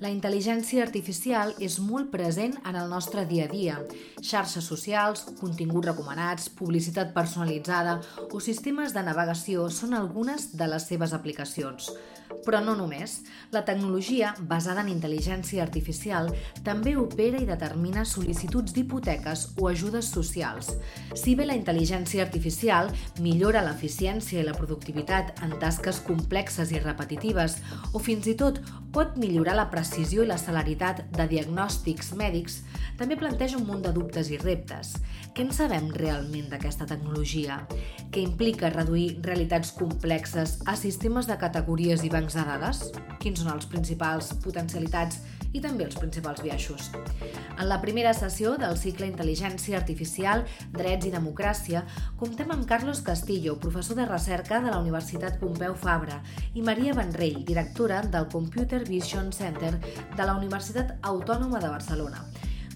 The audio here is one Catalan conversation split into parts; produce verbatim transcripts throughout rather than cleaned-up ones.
La intel·ligència artificial és molt present en el nostre dia a dia. Xarxes socials, continguts recomanats, publicitat personalitzada o sistemes de navegació són algunes de les seves aplicacions. Però no només. La tecnologia, basada en intel·ligència artificial, també opera i determina sol·licituds d'hipoteques o ajudes socials. Si bé la intel·ligència artificial millora l'eficiència i la productivitat en tasques complexes i repetitives, o fins i tot pot millorar la precisió i la celeritat de diagnòstics mèdics, també planteja un munt de dubtes i reptes. Què en sabem realment d'aquesta tecnologia? Què implica reduir realitats complexes a sistemes de categories i bancs de dades? Quins són els principals potencialitats i també els principals biaixos? En la primera sessió del cicle Intel·ligència Artificial, Drets i Democràcia, comptem amb Carlos Castillo, professor de recerca de la Universitat Pompeu Fabra, i Maria Vendrell, directora del Computer Vision Center de la Universitat Autònoma de Barcelona.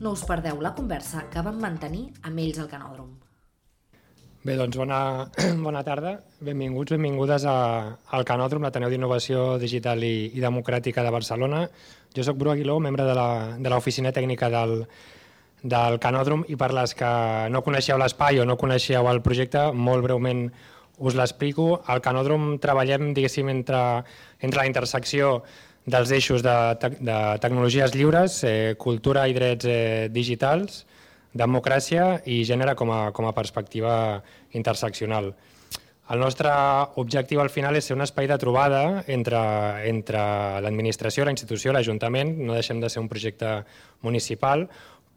No us perdeu la conversa que vam mantenir amb ells al Canòdrom. Bé, doncs bona, bona tarda. Benvinguts, benvingudes a, al Canòdrom, l'Ateneu d'Innovació Digital i, i Democràtica de Barcelona. Jo soc Bru Aguiló, membre de, la, de l'oficina tècnica del, del Canòdrom, i per les que no coneixeu l'espai o no coneixeu el projecte, molt breument us l'explico. Al Canòdrom treballem, diguéssim, entre, entre la intersecció dels eixos de, te de tecnologies lliures, eh, cultura i drets eh, digitals, democràcia i gènere com a, com a perspectiva interseccional. El nostre objectiu al final és ser un espai de trobada entre, entre l'administració, la institució, l'Ajuntament. No deixem de ser un projecte municipal,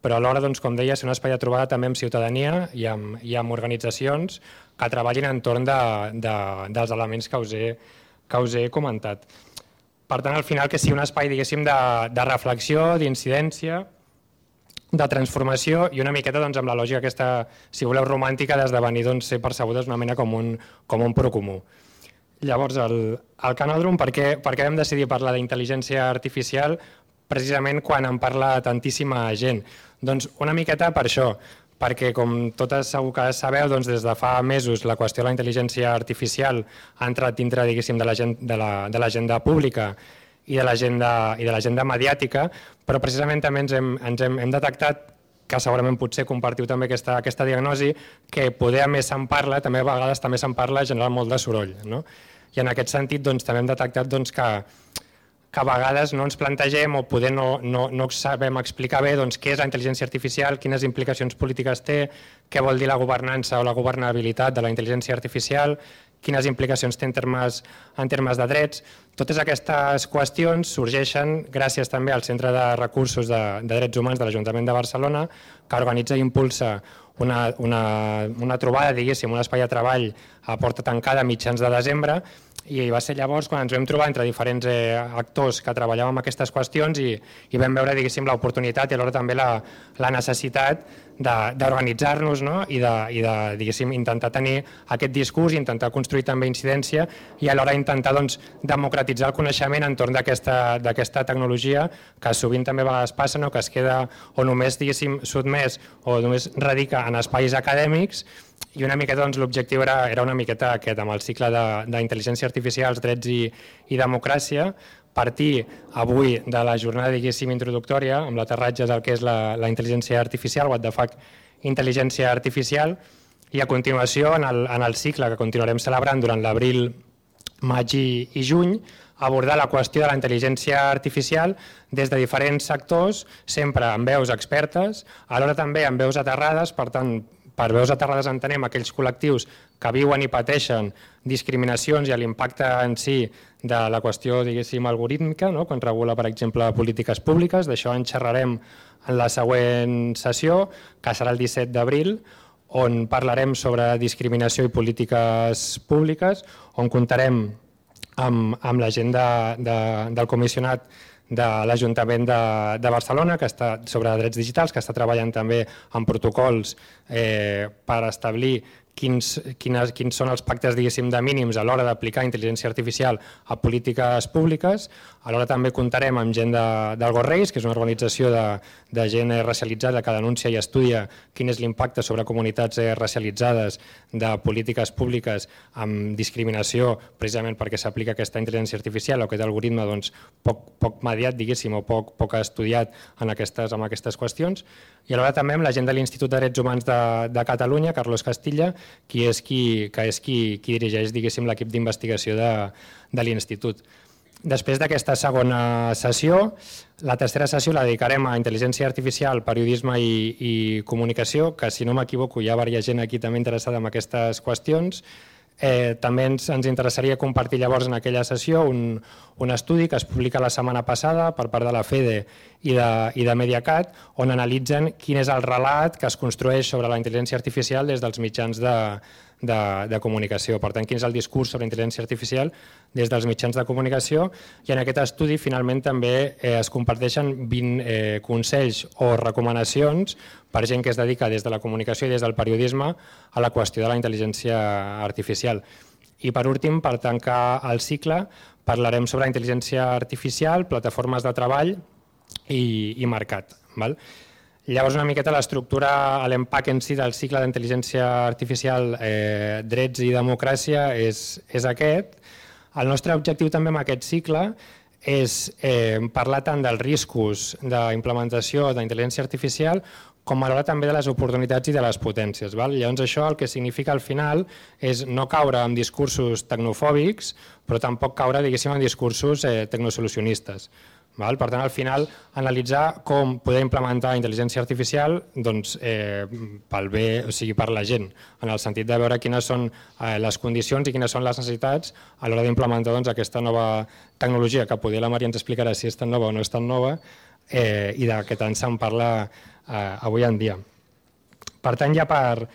però alhora, doncs, com deia, ser un espai de trobada també amb ciutadania i amb, i amb organitzacions que treballin entorn de, de, dels elements que us he, que us he comentat. Per tant, al final, que sigui un espai, diguéssim, de, de reflexió, d'incidència, de transformació i una miqueta doncs, amb la lògica aquesta, si voleu, romàntica d'esdevenir doncs, ser percebudes una mena com un, com un procomú. Llavors, el, el Canòdrom, per què, per què vam decidir parlar d'intel·ligència artificial precisament quan en parla tantíssima gent? Doncs una miqueta per això, perquè com totes segur que sabeu, doncs, des de fa mesos la qüestió de la intel·ligència artificial ha entrat dintre, diguéssim, de l'agenda pública i de l'agenda mediàtica, però precisament també ens hem, ens hem, hem detectat, que segurament potser compartiu també aquesta, aquesta diagnosi, que poder a més se'n parla, també a vegades també se'n parla, genera molt de soroll. No? I en aquest sentit doncs, també hem detectat doncs, que que a vegades no ens plantegem o poder no, no, no sabem explicar bé doncs, què és la intel·ligència artificial, quines implicacions polítiques té, què vol dir la governança o la governabilitat de la intel·ligència artificial, quines implicacions té en termes, en termes de drets. Totes aquestes qüestions sorgeixen gràcies també al Centre de Recursos de, de Drets Humans de l'Ajuntament de Barcelona, que organitza i impulsa una, una, una trobada, diguéssim, un espai de treball a porta tancada a mitjans de desembre, i va ser llavors quan ens vam trobar entre diferents eh, actors que treballàvem amb aquestes qüestions i, i vam veure, diguéssim, l'oportunitat i alhora també la, la necessitat d'organitzar-nos, no? I de, i de diguéssim, intentar tenir aquest discurs, intentar construir també incidència i alhora intentar doncs, democratitzar el coneixement entorn d'aquesta tecnologia que sovint també a vegades passa, no? Que es queda o només, diguéssim, sotmès o només radica en espais acadèmics. I una miqueta doncs, l'objectiu era, era una miqueta aquest, amb el cicle d'intel·ligència artificial, drets i, i democràcia, partir avui de la jornada, diguéssim, introductòria, amb l'aterratge del que és la, la intel·ligència artificial, what the fuck, intel·ligència artificial, i a continuació, en el, en el cicle que continuarem celebrant durant l'abril, maig i, i juny, abordar la qüestió de la intel·ligència artificial des de diferents sectors, sempre amb veus expertes, alhora també amb veus aterrades, per tant, per veus aterrades entenem aquells col·lectius que viuen i pateixen discriminacions i l'impacte en si de la qüestió, diguéssim, algorítmica, no? Quan regula, per exemple, polítiques públiques. D'això en xerrarem en la següent sessió, que serà el disset d'abril, on parlarem sobre discriminació i polítiques públiques, on comptarem amb, amb la gent de, de, del comissionat de l'Ajuntament de, de Barcelona, que està sobre drets digitals, que està treballant també en protocols eh, per establir quins, quines, quins són els pactes, diguéssim, de mínims a l'hora d'aplicar intel·ligència artificial a polítiques públiques. Alhora també comptarem amb gent de, del Gorreis, que és una organització de, de gent racialitzada que denuncia i estudia quin és l'impacte sobre comunitats racialitzades de polítiques públiques amb discriminació, precisament perquè s'aplica aquesta intel·ligència artificial o aquest algoritme doncs, poc, poc mediat, diguéssim, o poc, poc estudiat en aquestes, en aquestes qüestions. I alhora també amb la gent de l'Institut de Drets Humans de, de Catalunya, Carlos Castilla, qui és qui, que és qui, qui dirigeix, diguéssim, l'equip d'investigació de, de l'Institut. Després d'aquesta segona sessió, la tercera sessió la dedicarem a intel·ligència artificial, periodisme i, i comunicació, que si no m'equivoco hi ha diversa gent aquí també interessada en aquestes qüestions. Eh, també ens, ens interessaria compartir llavors en aquella sessió un, un estudi que es publica la setmana passada per part de la FEDE i de, i de Mediacat, on analitzen quin és el relat que es construeix sobre la intel·ligència artificial des dels mitjans de, de, de comunicació. Per tant, quin és el discurs sobre intel·ligència artificial des dels mitjans de comunicació, i en aquest estudi finalment també eh, es comparteixen vint eh, consells o recomanacions per gent que es dedica des de la comunicació i des del periodisme a la qüestió de la intel·ligència artificial. I per últim, per tancar el cicle, parlarem sobre intel·ligència artificial, plataformes de treball i, i mercat. Val? Llavors, una miqueta l'estructura, l'empac en si del cicle d'intel·ligència artificial, eh, drets i democràcia és, és aquest. El nostre objectiu també amb aquest cicle és eh, parlar tant dels riscos d'implementació d'intel·ligència artificial com alhora també de les oportunitats i de les potències. Val? Llavors això el que significa al final és no caure en discursos tecnofòbics, però tampoc caure, diguéssim, en discursos eh, tecnosolucionistes. Val? Per tant, al final, analitzar com poder implementar intel·ligència artificial doncs, eh, pel bé, o sigui, per la gent, en el sentit de veure quines són eh, les condicions i quines són les necessitats a l'hora d'implementar doncs, aquesta nova tecnologia, que poder la Maria ens explicarà si és tan nova o no és tan nova, eh, i de què tant se'n parla eh, avui en dia. Per tant, ja per,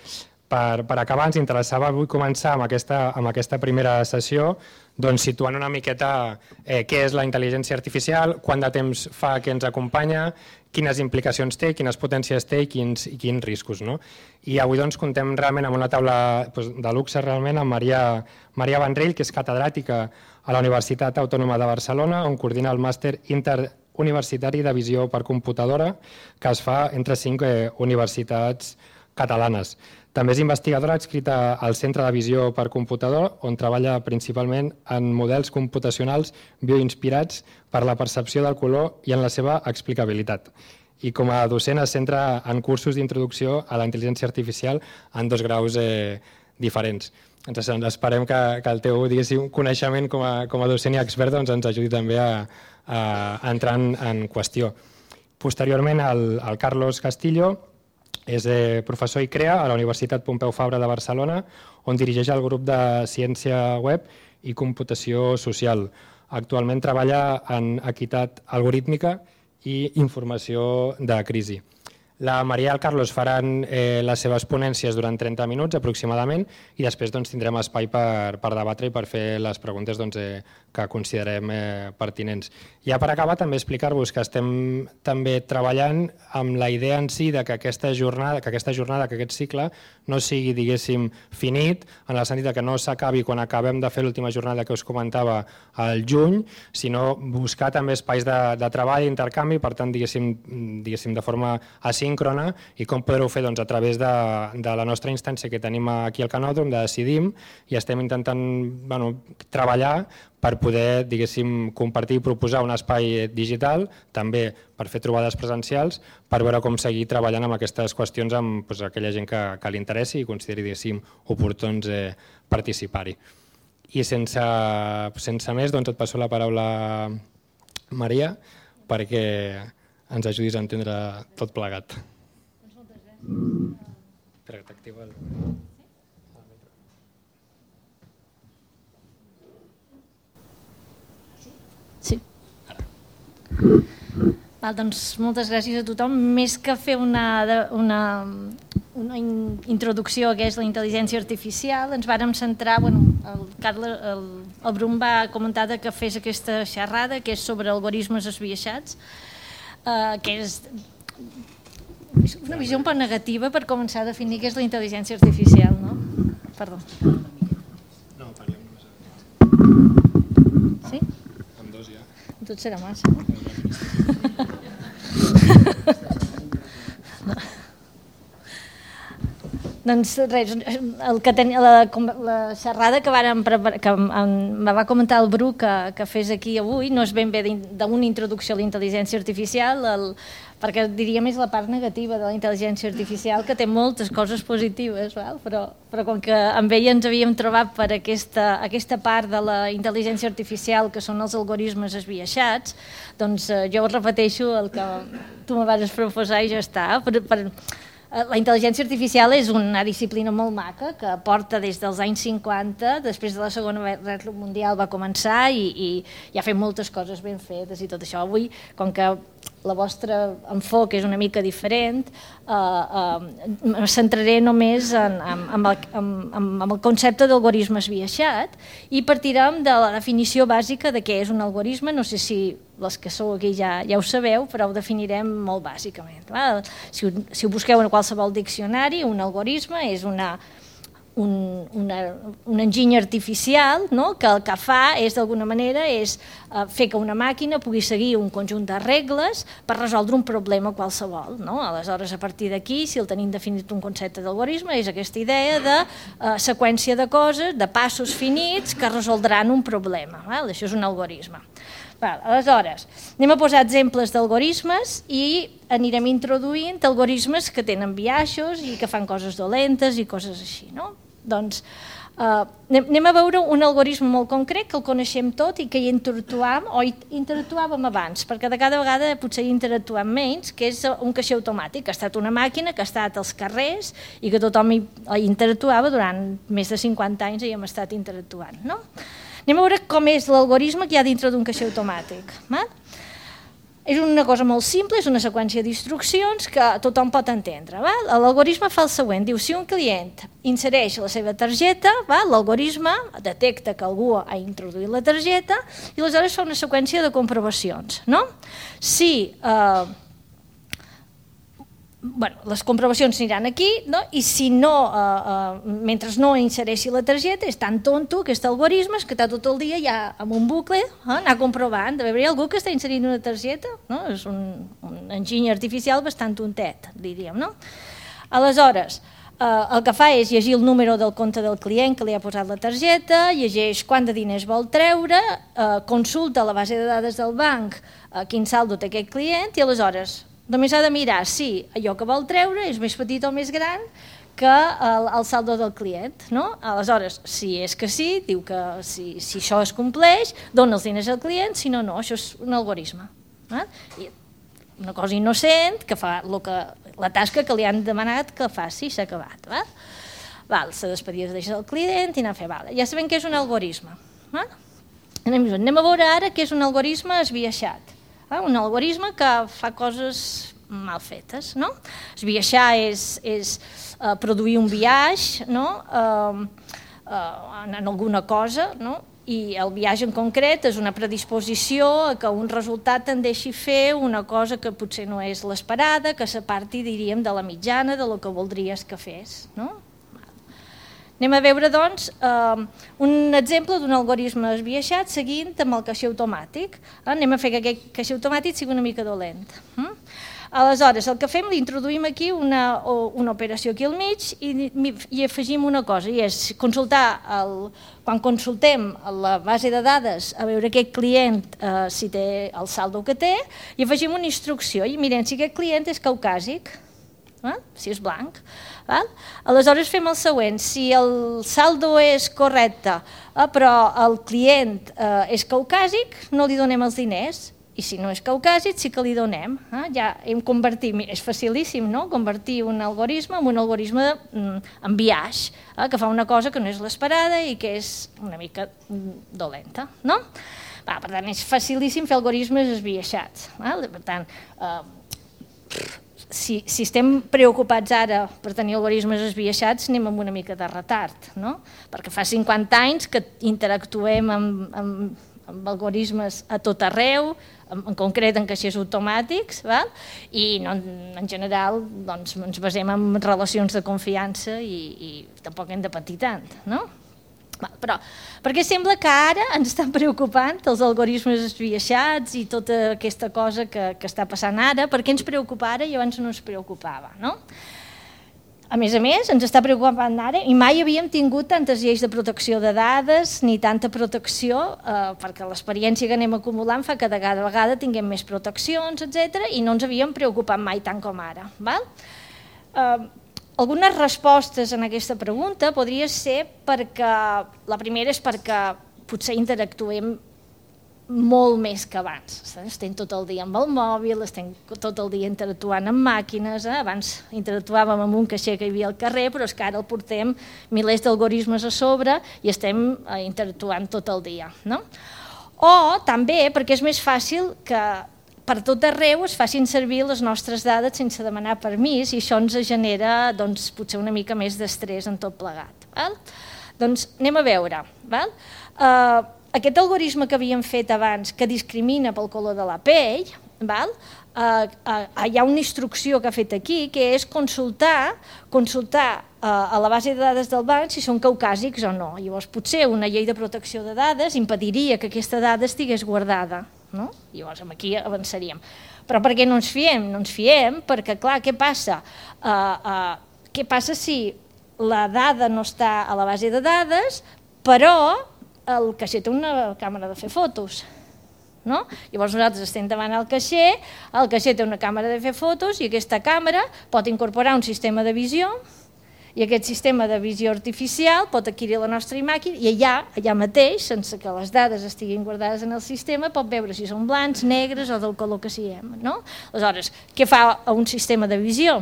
per, per acabar, ens interessava avui començar amb aquesta, amb aquesta primera sessió doncs, situant una miqueta eh, què és la intel·ligència artificial, quant de temps fa que ens acompanya, quines implicacions té, quines potències té i quins, i quins riscos. No? I avui doncs, contem realment amb una taula doncs, de luxe realment amb Maria, Maria Vendrell, que és catedràtica a la Universitat Autònoma de Barcelona, on coordina el màster interuniversitari de visió per computadora, que es fa entre cinc eh, universitats catalanes. També és investigadora adscrita al Centre de Visió per Computador, on treballa principalment en models computacionals bioinspirats per la percepció del color i en la seva explicabilitat. I com a docent es centra en cursos d'introducció a la intel·ligència artificial en dos graus eh, diferents. Ens esperem que, que el teu coneixement com a, com a docent i expert doncs, ens ajudi també a, a entrar en, en qüestió. Posteriorment, el, el Carlos Castillo és professor i crea a la Universitat Pompeu Fabra de Barcelona, on dirigeix el grup de ciència web i computació social. Actualment treballa en equitat algorítmica i informació de crisi. La Maria i el Carlos faran eh, les seves ponències durant trenta minuts aproximadament i després doncs, tindrem espai per, per debatre i per fer les preguntes doncs, eh, que considerem eh, pertinents. Ja per acabar també explicar-vos que estem també treballant amb la idea en si de que aquesta jornada, que aquesta jornada, que aquest cicle no sigui, diguéssim, finit, en el sentit que no s'acabi quan acabem de fer l'última jornada que us comentava al juny, sinó buscar també espais de, de treball i intercanvi, per tant, diguéssim, diguéssim de forma asíncrona, i com poder-ho fer doncs, a través de, de la nostra instància que tenim aquí al Canòdrom, de Decidim, i estem intentant bueno, treballar per poder, diguéssim, compartir i proposar un espai digital, també per fer trobades presencials, per veure com seguir treballant amb aquestes qüestions amb doncs, aquella gent que, que li interessi i consideri, diguéssim, oportuns eh, participar-hi. I sense, sense més, doncs et passo la paraula a Maria, perquè ens ajudis a entendre tot plegat. Doncs moltes gràcies. Espera que t'activa el... Sí. Val, doncs moltes gràcies a tothom. Més que fer una, una, una introducció a què és la intel·ligència artificial, ens vàrem centrar, bueno, el, Carles, el, el Brum va comentar que fes aquesta xerrada, que és sobre algoritmes esbiaixats, eh, que és una visió un poc negativa per començar a definir què és la intel·ligència artificial, no? perdó. No, parlem només. Sí? Amb dos ja. Tot serà massa. No. Doncs res, el que ten, la, la xerrada que, varen preparar, que em va comentar el Bru que, que fes aquí avui no és ben bé d'una introducció a la intel·ligència artificial, el, perquè diríem és la part negativa de la intel·ligència artificial, que té moltes coses positives, val? Però, però com que amb ella ens havíem trobat per aquesta, aquesta part de la intel·ligència artificial, que són els algoritmes esbiaixats, doncs eh, jo repeteixo el que tu me vas proposar i ja està. Per, per, La intel·ligència artificial és una disciplina molt maca que porta des dels anys cinquanta, després de la Segona Guerra Mundial va començar i, i, i ha fet moltes coses ben fetes i tot això. Avui, com que la vostra enfoc és una mica diferent, eh, eh, em centraré només en, en, en, el, en, en el concepte d'algoritme esbiaixat i partirem de la definició bàsica de què és un algoritme. No sé si les que sou aquí ja, ja ho sabeu, però ho definirem molt bàsicament. Va? Si, ho, si ho busqueu en qualsevol diccionari, un algoritme és una, un, una, un enginy artificial, no? Que el que fa és, d'alguna manera, és uh, fer que una màquina pugui seguir un conjunt de regles per resoldre un problema qualsevol. No? Aleshores, a partir d'aquí, si el tenim definit un concepte d'algoritme, és aquesta idea de uh, seqüència de coses, de passos finits que resoldran un problema. Val? Això és un algoritme. Val, aleshores, anem a posar exemples d'algoritmes i anirem introduint algoritmes que tenen biaixos i que fan coses dolentes i coses així. No? Doncs uh, anem a veure un algoritme molt concret que el coneixem tot i que hi interactuàvem o hi interactuàvem abans, perquè de cada vegada potser hi interactuem menys, que és un caixer automàtic, que ha estat una màquina que ha estat als carrers i que tothom hi, hi interactuava durant més de cinquanta anys i hem estat interactuant. No? Anem a veure com és l'algoritme que hi ha dintre d'un caixer automàtic. Val? És una cosa molt simple, és una seqüència d'instruccions que tothom pot entendre. L'algoritme fa el següent, diu, si un client insereix la seva targeta, l'algoritme detecta que algú ha introduït la targeta i aleshores fa una seqüència de comprovacions. No? Si... Eh, Bueno, les comprovacions aniran aquí, no? I si no, eh, eh, mentre no insereixi la targeta, és tan tonto aquest algoritme que està tot el dia ja amb un bucle, eh, anar comprovant, de veure hi ha algú que està inserint una targeta, no? És un, un enginy artificial bastant tontet, diríem, no? Aleshores, eh, el que fa és llegir el número del compte del client que li ha posat la targeta, llegeix quant de diners vol treure, eh, consulta la base de dades del banc, eh, quin saldo té aquest client, i aleshores només ha de mirar si allò que vol treure és més petit o més gran que el, el saldo del client. No? Aleshores, si és que sí, diu que si, si això es compleix, dona els diners al client, si no, no, això és un algoritme. Eh? I una cosa innocent, que fa lo que, la tasca que li han demanat que faci, s'ha acabat. Val? Val, se despedia del client i anar a fer. Val. Ja sabem què és un algoritme. Val? Anem, anem a veure ara què és un algoritme esbiaixat. Un algoritme que fa coses mal fetes. No? Esbiaixar és, és uh, produir un biaix, no? uh, uh, en alguna cosa, no? I el biaix en concret és una predisposició a que un resultat tendeixi a fer una cosa que potser no és l'esperada, que s'aparti, diríem, de la mitjana, de lo que voldries que fes. No? Anem a veure, doncs, eh, un exemple d'un algoritme esbiaixat seguint amb el caixer automàtic. Anem a fer que aquest caixer automàtic sigui una mica dolent. Mm? Aleshores, el que fem, li introduïm aquí una, una operació aquí al mig i, i afegim una cosa, i és consultar, el, quan consultem la base de dades a veure aquest client eh, si té el saldo que té, i afegim una instrucció i mirem si aquest client és caucàsic. Eh? Si és blanc. Val? Aleshores fem el següent, si el saldo és correcte eh, però el client eh, és caucàsic, no li donem els diners, i si no és caucàsic sí que li donem. Eh? Ja hem convertit, és facilíssim, no? Convertir un algoritme en un algoritme mm, en biaix, eh? Que fa una cosa que no és l'esperada i que és una mica mm, dolenta. No? Va, per tant, és facilíssim fer algoritmes esbiaixats. Val? Per tant, eh, Si, si estem preocupats ara per tenir algoritmes esbiaixats, anem amb una mica de retard, no? Perquè fa cinquanta anys que interactuem amb, amb, amb algoritmes a tot arreu, en concret en caixers automàtics, val? I no, en general doncs, ens basem en relacions de confiança i, i tampoc hem de patir tant, no? Però perquè sembla que ara ens estan preocupant els algoritmes esbiaixats i tota aquesta cosa que, que està passant ara, perquè ens preocupa ara i abans no ens preocupava, no? A més a més, ens està preocupant ara i mai havíem tingut tantes lleis de protecció de dades ni tanta protecció, eh, perquè l'experiència que anem acumulant fa que de cada vegada tinguem més proteccions, etcètera, i no ens havíem preocupat mai tant com ara. Val? Eh, algunes respostes en aquesta pregunta podria ser perquè, la primera és perquè potser interactuem molt més que abans. Estem tot el dia amb el mòbil, estem tot el dia interactuant amb màquines, eh? Abans interactuàvem amb un caixer que hi havia al carrer, però és que ara el portem milers d'algoritmes a sobre i estem eh, interactuant tot el dia. No? O també perquè és més fàcil que per tot arreu es facin servir les nostres dades sense demanar permís i això ens genera doncs, potser una mica més d'estrès en tot plegat. Val? Doncs anem a veure. Val? Uh, Aquest algoritme que havíem fet abans, que discrimina pel color de la pell, val? Uh, uh, hi ha una instrucció que ha fet aquí, que és consultar, consultar uh, a la base de dades del banc si són caucàsics o no. Llavors, potser una llei de protecció de dades impediria que aquesta dada estigués guardada. No? Llavors, aquí avançaríem. Però per què no ens fiem? No ens fiem perquè, clar, què passa? Uh, uh, què passa si la dada no està a la base de dades, però el caixer té una càmera de fer fotos, no? Llavors nosaltres estem davant el caixer, el caixer té una càmera de fer fotos i aquesta càmera pot incorporar un sistema de visió i aquest sistema de visió artificial pot adquirir la nostra imatge i allà, allà mateix, sense que les dades estiguin guardades en el sistema, pot veure si són blancs, negres o del color que siguem, no? Aleshores, què fa un sistema de visió?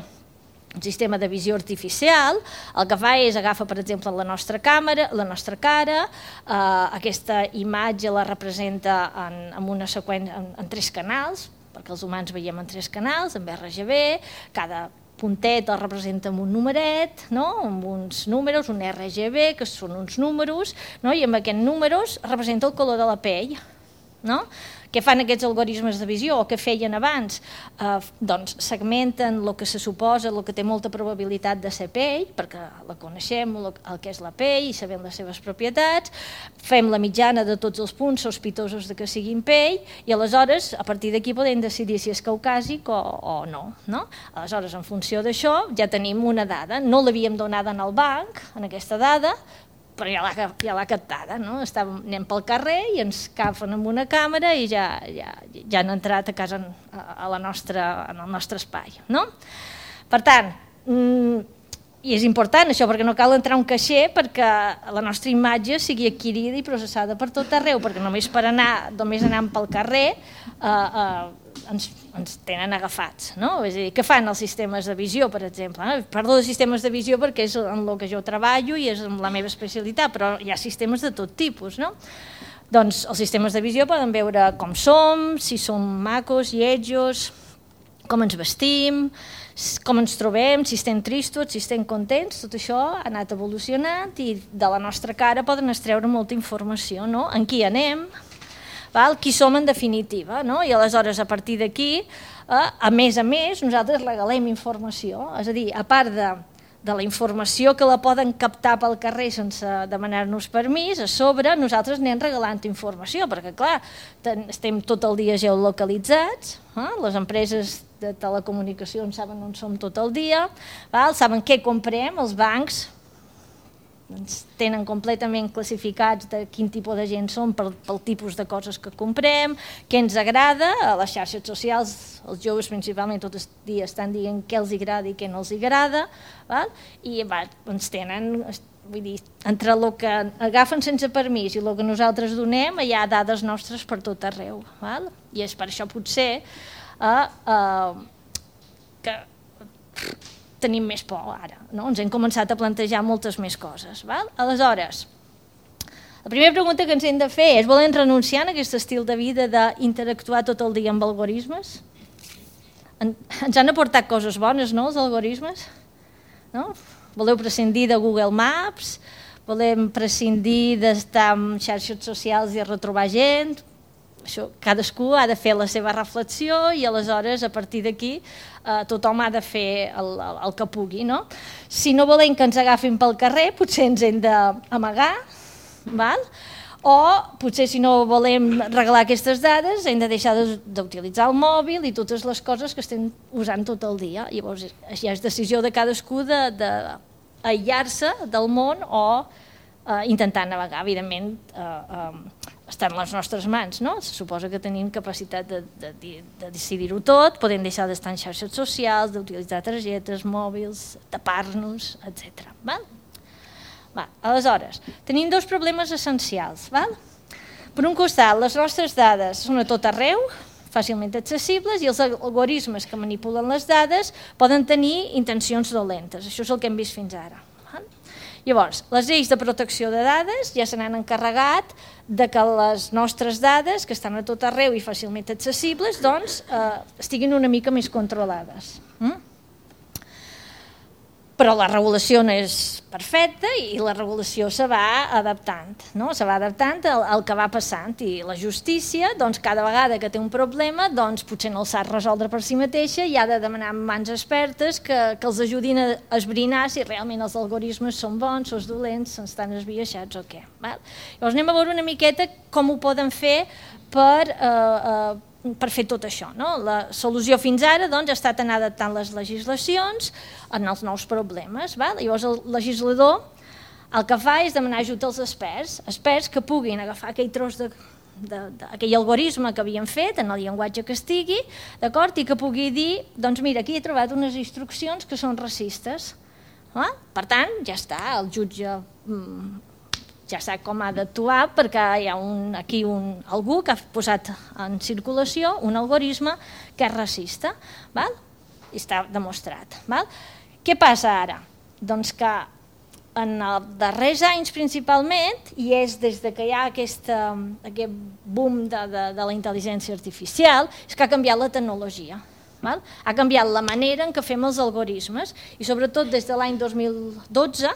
Un sistema de visió artificial, el que fa és agafa, per exemple, la nostra càmera, la nostra cara, eh, aquesta imatge la representa en, en una seqüència en, en tres canals, perquè els humans veiem en tres canals, en R G B, cada puntet el representa amb un numeret, no? Amb uns números, un R G B, que són uns números, no? I amb aquests números representa el color de la pell, no? Què fan aquests algoritmes de visió o què feien abans? Eh, doncs segmenten el que se suposa, el que té molta probabilitat de ser pell, perquè la coneixem, el, el que és la pell i sabem les seves propietats, fem la mitjana de tots els punts sospitosos de que siguin pell i aleshores a partir d'aquí podem decidir si és caucàsic o, o no, no? Aleshores, en funció d'això, ja tenim una dada. No l'havíem donada en el banc, en aquesta dada, però ja l'ha ja l'ha captada, no? Estàvem, anem pel carrer i ens agafen amb una càmera i ja, ja, ja han entrat a casa a, a la nostra, en el nostre espai, no? Per tant, mmm, i és important això perquè no cal entrar a un caixer perquè la nostra imatge sigui adquirida i processada per tot arreu, perquè només per anar, només anant pel carrer eh, eh, ens, ens tenen agafats, no? És a dir, què fan els sistemes de visió, per exemple? Eh? Parlo de sistemes de visió perquè és en el que jo treballo i és la meva especialitat, però hi ha sistemes de tot tipus, no? Doncs els sistemes de visió poden veure com som, si som macos, lletjos, com ens vestim, com ens trobem, si estem tristos, si estem contents, tot això ha anat evolucionant i de la nostra cara poden extreure molta informació, no? En qui anem, val? Qui som en definitiva, no? I aleshores a partir d'aquí, eh, a més a més, nosaltres regalem informació, és a dir, a part de, de la informació que la poden captar pel carrer sense demanar-nos permís, a sobre nosaltres anem regalant informació, perquè clar, ten, estem tot el dia geolocalitzats, eh? Les empreses de telecomunicacions saben on som tot el dia, val? Saben què comprem, els bancs ens tenen completament classificats de quin tipus de gent som pel, pel tipus de coses que comprem, què ens agrada, a les xarxes socials els joves principalment tot el dia estan dient què els agrada i què no els agrada, val? I va, ens tenen, vull dir, entre el que agafen sense permís i el que nosaltres donem hi ha dades nostres per tot arreu, val? I és per això potser Uh, uh, que tenim més por ara, no? Ens hem començat a plantejar moltes més coses, val? Aleshores, la primera pregunta que ens hem de fer és: volem renunciar a aquest estil de vida d'interactuar tot el dia amb algoritmes? En, ens han aportat coses bones, no, els algoritmes? No? Voleu prescindir de Google Maps? volem prescindir d'estar en xarxes socials i retrobar gent. Això, cadascú ha de fer la seva reflexió i aleshores a partir d'aquí eh, tothom ha de fer el, el, el que pugui. No? Si no volem que ens agafin pel carrer, potser ens hem d'amagar, val? O potser si no volem regalar aquestes dades hem de deixar d'utilitzar el mòbil i totes les coses que estem usant tot el dia. Llavors ja és decisió de cadascú d'aïllar-se del món o eh, intentar navegar. Evidentment eh, eh, està en les nostres mans, no? Se suposa que tenim capacitat de, de, de decidir-ho tot, podem deixar d'estar en xarxes socials, d'utilitzar targetes, mòbils, tapar-nos, etcètera. Val? Va, aleshores, tenim dos problemes essencials. Val? Per un costat, les nostres dades són a tot arreu, fàcilment accessibles, i els algoritmes que manipulen les dades poden tenir intencions dolentes. Això és el que hem vist fins ara. Val? Llavors, les lleis de protecció de dades ja se n'han encarregat de que les nostres dades, que estan a tot arreu i fàcilment accessibles, doncs, eh, estiguin una mica més controlades. Mm? Però la regulació no és perfecta i la regulació se va adaptant, no? Se va adaptant al, al que va passant i la justícia, doncs, cada vegada que té un problema, doncs, potser no el sap resoldre per si mateixa i ha de demanar mans expertes que, que els ajudin a esbrinar si realment els algoritmes són bons, són dolents, estan esbiaixats o què. Val? Llavors anem a veure una miqueta com ho poden fer per... Eh, eh, per fer tot això. No? La solució fins ara doncs, ha estat anar adaptant les legislacions en els nous problemes. Val? Llavors el legislador el que fa és demanar ajut als experts, experts que puguin agafar aquell tros de, de, de, aquell algoritme que havien fet en el llenguatge que estigui, d'acord, i que pugui dir, doncs mira, aquí he trobat unes instruccions que són racistes. Val? Per tant, ja està, el jutge... Mm, ja sap com ha d'actuar perquè hi ha un, aquí un, algú que ha posat en circulació un algoritme que és racista. Val? I està demostrat. Val? Què passa ara? Doncs que en els darrers anys principalment, i és des de que hi ha aquesta, aquest boom de, de, de la intel·ligència artificial, és que ha canviat la tecnologia. Val? Ha canviat la manera en què fem els algoritmes i sobretot des de l'any dos mil dotze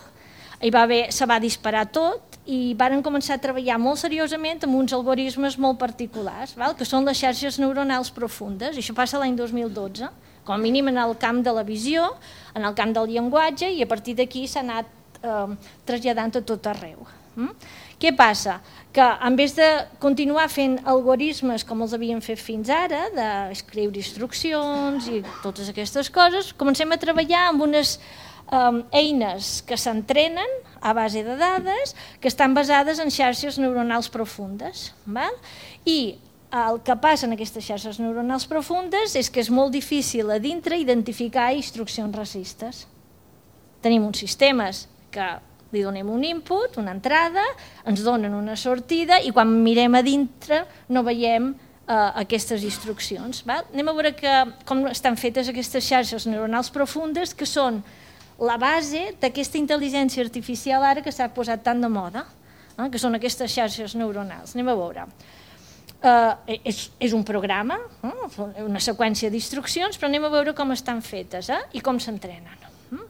hi va haver, se va disparar tot i varen començar a treballar molt seriosament amb uns algoritmes molt particulars, val? Que són les xarxes neuronals profundes, i això passa l'any dos mil dotze, com a mínim en el camp de la visió, en el camp del llenguatge, i a partir d'aquí s'ha anat eh, traslladant a tot arreu. Mm? Què passa? Que en vez de continuar fent algoritmes com els havien fet fins ara, d'escriure instruccions i totes aquestes coses, comencem a treballar amb unes Um, eines que s'entrenen a base de dades que estan basades en xarxes neuronals profundes. Val? I el que passa en aquestes xarxes neuronals profundes és que és molt difícil a dintre identificar instruccions racistes. Tenim uns sistemes que li donem un input, una entrada, ens donen una sortida i quan mirem a dintre no veiem uh, aquestes instruccions. Val? Anem a veure que, com estan fetes aquestes xarxes neuronals profundes, que són la base d'aquesta intel·ligència artificial ara que s'ha posat tant de moda, eh, que són aquestes xarxes neuronals. Anem a veure. Eh, és, és un programa, eh, una seqüència d'instruccions, però anem a veure com estan fetes eh, i com s'entrenen. Mm?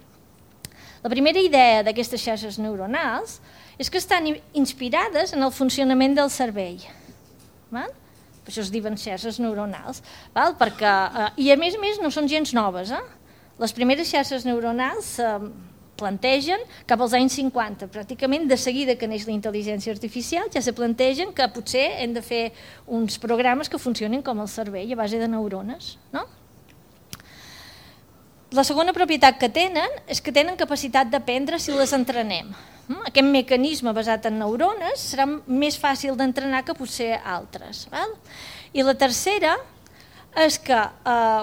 La primera idea d'aquestes xarxes neuronals és que estan inspirades en el funcionament del cervell. Val? Per això es diuen xarxes neuronals. Val? Perquè, eh, I a més a més no són gens noves, eh? Les primeres xarxes neuronals eh, plantegen cap als anys cinquanta, pràcticament de seguida que neix la intel·ligència artificial ja se plantegen que potser hem de fer uns programes que funcionin com el cervell a base de neurones. No? La segona propietat que tenen és que tenen capacitat d'aprendre si les entrenem. Aquest mecanisme basat en neurones serà més fàcil d'entrenar que potser altres. Val? I la tercera és que eh,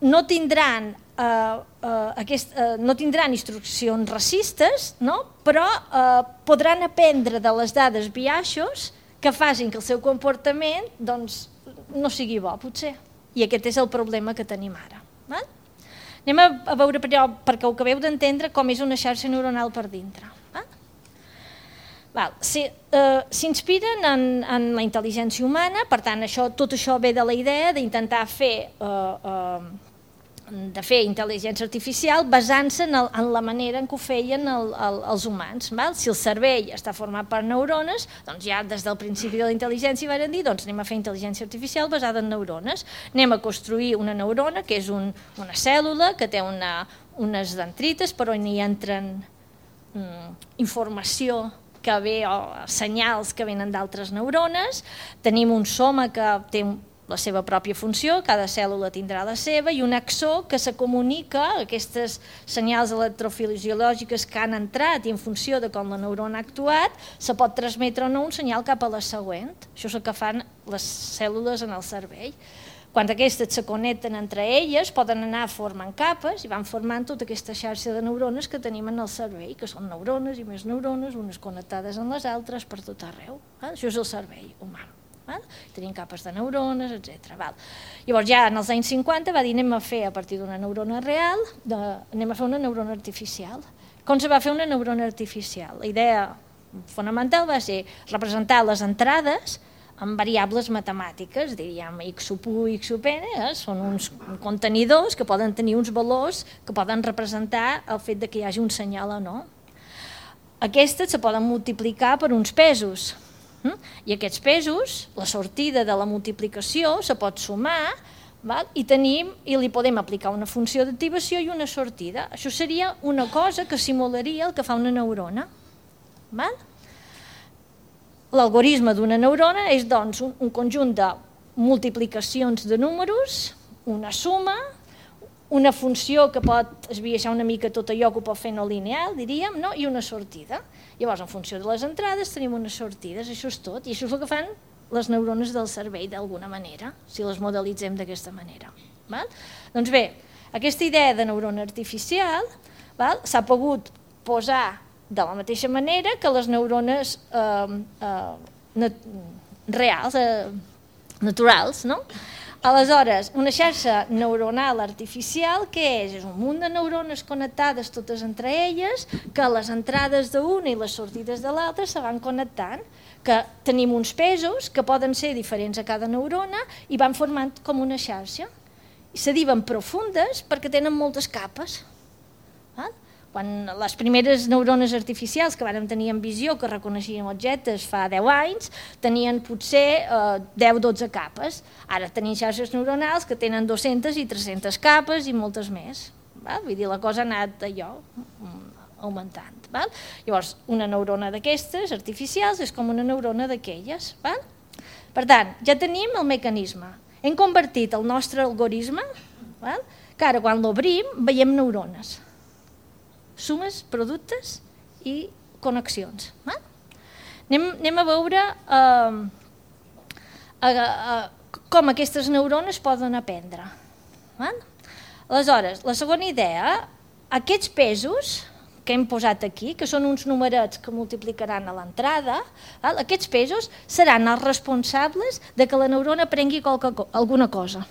no tindran Uh, uh, aquest, uh, no tindran instruccions racistes, no? Però uh, podran aprendre de les dades biaixos que facin que el seu comportament doncs, no sigui bo, potser. I aquest és el problema que tenim ara. Val? Anem a, a veure, però, perquè ho acabeu d'entendre, com és una xarxa neuronal per dintre. Val? Val. Si, uh, s'inspiren en, en la intel·ligència humana, per tant, això, tot això ve de la idea d'intentar fer... Uh, uh, de fer intel·ligència artificial basant-se en, en la manera en què ho feien el, el, els humans. Val? Si el cervell està format per neurones, doncs ja des del principi de la intel·ligència van dir doncs anem a fer intel·ligència artificial basada en neurones. Anem a construir una neurona, que és un, una cèl·lula que té una, unes dendrites per on hi entren mm, informació que ve, o senyals que venen d'altres neurones. Tenim un soma que té un la seva pròpia funció, cada cèl·lula tindrà la seva, i un axó que se comunica, aquestes senyals electrofisiològiques que han entrat i en funció de com la neurona ha actuat, se pot transmetre o no un senyal cap a la següent. Això és el que fan les cèl·lules en el cervell. Quan aquestes se connecten entre elles, poden anar formant capes i van formant tota aquesta xarxa de neurones que tenim en el cervell, que són neurones i més neurones, unes connectades amb les altres per tot arreu. Això és el cervell humà. Val? Tenim capes de neurones, etcètera. Llavors ja en els anys cinquanta va dir anem a fer a partir d'una neurona real, de, anem a fer una neurona artificial. Com se va fer una neurona artificial? La idea fonamental va ser representar les entrades amb variables matemàtiques, diríem x sub u, x sub n, eh? Són uns contenidors que poden tenir uns valors que poden representar el fet de que hi hagi un senyal o no. Aquestes se poden multiplicar per uns pesos, i aquests pesos, la sortida de la multiplicació se pot sumar, val? I tenim, i li podem aplicar una funció d'activació i una sortida. Això seria una cosa que simularia el que fa una neurona. L'algoritme d'una neurona és doncs un, un conjunt de multiplicacions de números, una suma, una funció que pot esbiaixar una mica tot allò que ho pot fer no lineal, diríem, no? I una sortida. Llavors, en funció de les entrades, tenim unes sortides, això és tot, i això és el que fan les neurones del cervell, d'alguna manera, si les modelitzem d'aquesta manera. Val? Doncs bé, aquesta idea de neurona artificial s'ha pogut posar de la mateixa manera que les neurones eh, eh, reals, eh, naturals, no? Aleshores, una xarxa neuronal artificial, què és? És un munt de neurones connectades totes entre elles, que les entrades d'una i les sortides de l'altra se van connectant, que tenim uns pesos que poden ser diferents a cada neurona i van formant com una xarxa. I se diuen profundes perquè tenen moltes capes. Quan les primeres neurones artificials que vàrem tenir en visió, que reconeixien objectes fa deu anys, tenien potser deu o dotze capes. Ara tenim xarxes neuronals que tenen dues-centes i tres-centes capes i moltes més. Vull dir, la cosa ha anat allò augmentant. Llavors, una neurona d'aquestes artificials és com una neurona d'aquelles. Per tant, ja tenim el mecanisme. Hem convertit el nostre algoritme, que ara quan l'obrim veiem neurones. Sumes, productes i connexions. Anem, anem a veure eh, a, a, com aquestes neurones poden aprendre. Aleshores, la segona idea, aquests pesos que hem posat aquí, que són uns numerets que multiplicaran a l'entrada, aquests pesos seran els responsables de que la neurona aprengui qualque, alguna cosa.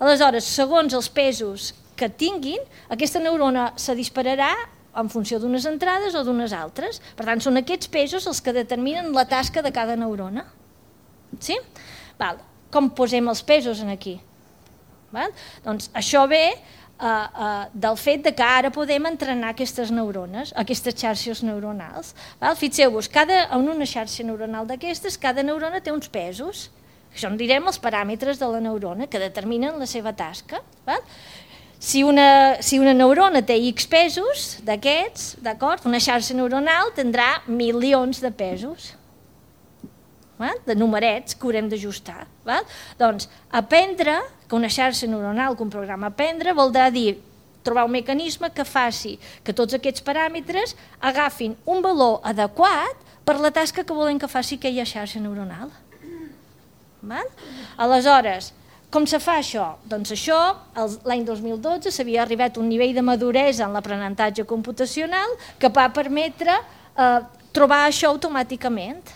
Aleshores, segons els pesos que tinguin, aquesta neurona se dispararà en funció d'unes entrades o d'unes altres. Per tant, són aquests pesos els que determinen la tasca de cada neurona. Sí? Val. Com posem els pesos aquí? Val? Doncs això ve uh, uh, del fet de que ara podem entrenar aquestes neurones, aquestes xarxes neuronals. Val? Fixeu-vos, cada, en una xarxa neuronal d'aquestes, cada neurona té uns pesos. Això en direm els paràmetres de la neurona que determinen la seva tasca. Val? Si una, si una neurona té X pesos d'aquests, d'acord, una xarxa neuronal tindrà milions de pesos, val? De numerets que haurem d'ajustar. Doncs aprendre, que una xarxa neuronal, que un programa aprendre, vol dir trobar un mecanisme que faci que tots aquests paràmetres agafin un valor adequat per la tasca que volem que faci aquella xarxa neuronal. Val? Aleshores, com se fa això? Doncs això, l'any dos mil dotze s'havia arribat a un nivell de maduresa en l'aprenentatge computacional que va permetre eh, trobar això automàticament.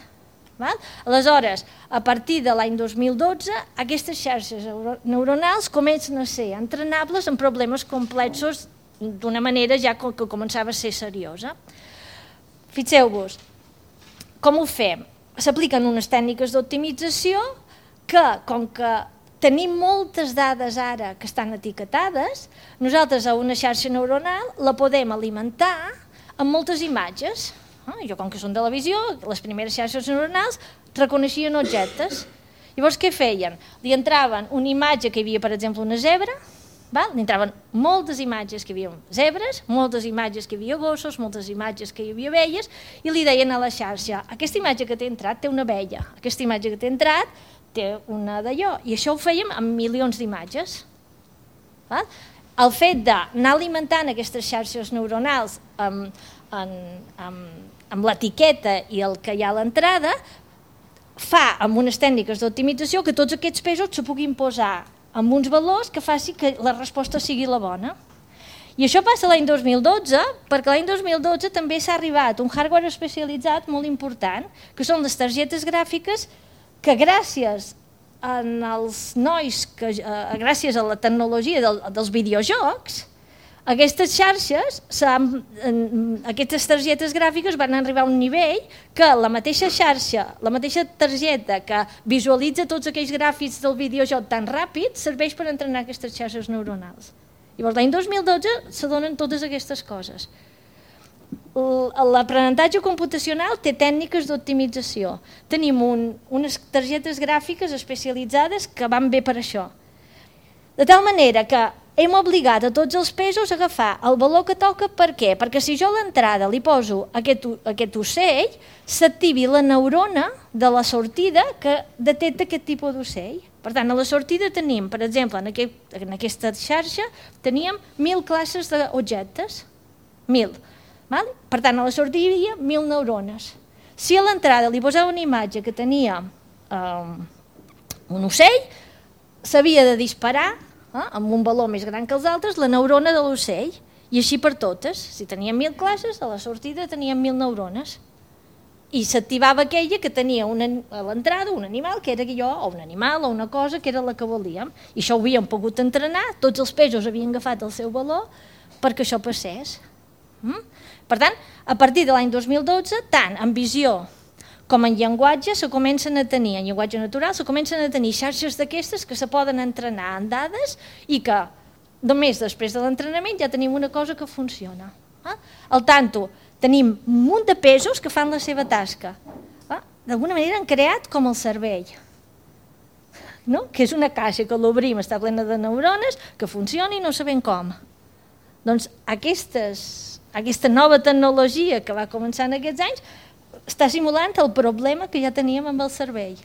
Val? Aleshores, a partir de l'any dos mil dotze, aquestes xarxes neuronals comencen a ser entrenables en problemes complexos d'una manera ja que començava a ser seriosa. Fixeu-vos, com ho fem? S'apliquen unes tècniques d'optimització que, com que tenim moltes dades ara que estan etiquetades, nosaltres a una xarxa neuronal la podem alimentar amb moltes imatges. Jo, com que són de la visió, les primeres xarxes neuronals reconeixien objectes. Llavors, què feien? Li entraven una imatge que hi havia, per exemple, una zebra, li entraven moltes imatges que hi havia zebres, moltes imatges que hi havia gossos, moltes imatges que hi havia abelles, i li deien a la xarxa, aquesta imatge que t'he entrat té una abella, aquesta imatge que t'he entrat té una d'allò, i això ho fèiem amb milions d'imatges. El fet d'anar alimentant aquestes xarxes neuronals amb, amb, amb, amb l'etiqueta i el que hi ha a l'entrada fa, amb unes tècniques d'optimització, que tots aquests pesos se puguin posar amb uns valors que faci que la resposta sigui la bona. I això passa l'any dos mil dotze, perquè l'any dos mil dotze també s'ha arribat un hardware especialitzat molt important, que són les targetes gràfiques que gràcies als nois, que, uh, gràcies a la tecnologia del, dels videojocs, aquestes xarxes, aquestes targetes gràfiques van arribar a un nivell que la mateixa xarxa, la mateixa targeta que visualitza tots aquells gràfics del videojoc tan ràpid, serveix per entrenar aquestes xarxes neuronals. Llavors, l'any dos mil dotze s'adonen totes aquestes coses. L'aprenentatge computacional té tècniques d'optimització. Tenim un, unes targetes gràfiques especialitzades que van bé per això. De tal manera que hem obligat a tots els pesos a agafar el valor que toca. Per què? Perquè si jo a l'entrada li poso aquest, aquest ocell, s'activi la neurona de la sortida que detecta aquest tipus d'ocell. Per tant, a la sortida tenim, per exemple, en, aquest, en aquesta xarxa, teníem mil classes d'objectes. Mil. Val? Per tant, a la sortida hi havia mil neurones. Si a l'entrada li posava una imatge que tenia eh, un ocell, s'havia de disparar eh, amb un valor més gran que els altres la neurona de l'ocell, i així per totes. Si teníem mil classes, a la sortida teníem mil neurones. I s'activava aquella que tenia una, a l'entrada un animal que era jo, o un animal o una cosa que era la que volíem. I això ho havíem pogut entrenar, tots els pesos havien agafat el seu valor perquè això passés. Mm? Per tant, a partir de l'any dos mil dotze, tant en visió com en llenguatge se comencen a tenir, en llenguatge natural, se comencen a tenir xarxes d'aquestes que se poden entrenar en dades i que només després de l'entrenament ja tenim una cosa que funciona. Al tanto, tenim un munt de pesos que fan la seva tasca. D'alguna manera han creat com el cervell, no? Que és una caixa que l'obrim, està plena de neurones, que funciona i no sabem com. Doncs aquestes, aquesta nova tecnologia que va començar en aquests anys està simulant el problema que ja teníem amb el cervell.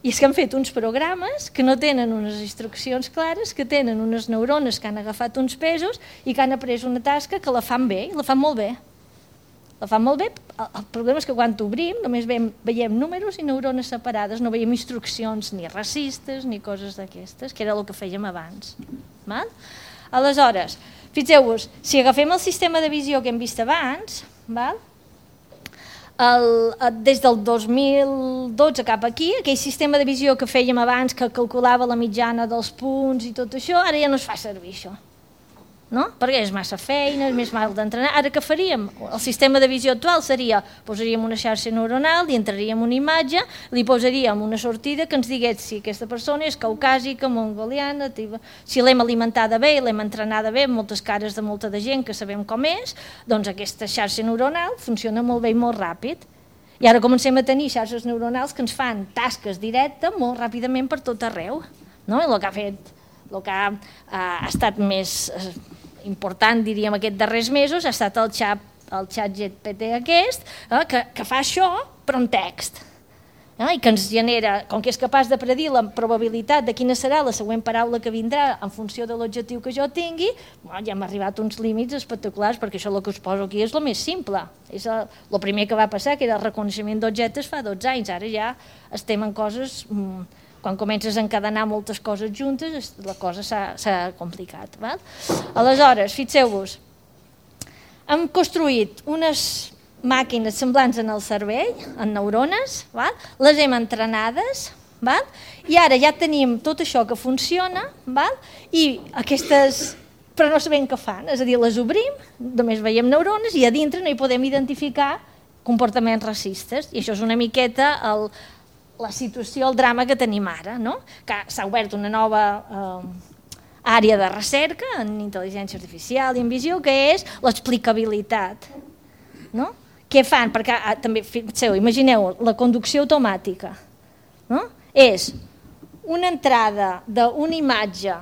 I és que han fet uns programes que no tenen unes instruccions clares, que tenen unes neurones que han agafat uns pesos i que han après una tasca que la fan bé, i la fan molt bé. La fan molt bé. El problema és que quan t'obrim només veiem, veiem números i neurones separades, no veiem instruccions ni racistes ni coses d'aquestes, que era el que fèiem abans. Val? Aleshores, fixeu-vos, si agafem el sistema de visió que hem vist abans, val? El, des del dos mil dotze cap aquí, aquell sistema de visió que fèiem abans, que calculava la mitjana dels punts i tot això, ara ja no es fa servir això. No? Perquè és massa feina, és més mal d'entrenar. Ara què faríem? El sistema de visió actual seria, posaríem una xarxa neuronal, li entraríem una imatge, li posaríem una sortida que ens digués si aquesta persona és caucàsica, mongoliana, si l'hem alimentada bé, l'hem entrenada bé, amb moltes cares de molta de gent que sabem com és, doncs aquesta xarxa neuronal funciona molt bé i molt ràpid. I ara comencem a tenir xarxes neuronals que ens fan tasques directes molt ràpidament per tot arreu. No? I el que ha fet, el que ha, ha estat més important, diríem, aquests darrers mesos, ha estat el xat, el xat G P T aquest, eh, que, que fa això, però en text. Eh, I que ens genera, com que és capaç de predir la probabilitat de quina serà la següent paraula que vindrà en funció de l'objectiu que jo tingui, bueno, ja hem arribat a uns límits espectaculars, perquè això el que us poso aquí és el més simple. És el, el primer que va passar, que era el reconeixement d'objectes fa dotze anys. Ara ja estem en coses... Mm, quan comences a encadenar moltes coses juntes, la cosa s'ha complicat. Val? Aleshores, fixeu-vos, hem construït unes màquines semblants en el cervell, en neurones, val? Les hem entrenades, val? I ara ja tenim tot això que funciona, val? I aquestes... però no sabem què fan, és a dir, les obrim, només veiem neurones i a dintre no hi podem identificar comportaments racistes, i això és una miqueta el... la situació, el drama que tenim ara, no? Que s'ha obert una nova eh, àrea de recerca en intel·ligència artificial i en visió, que és l'explicabilitat, no? Què fan? Perquè ah, també, fixeu, imagineu, la conducció automàtica, no? És una entrada d'una imatge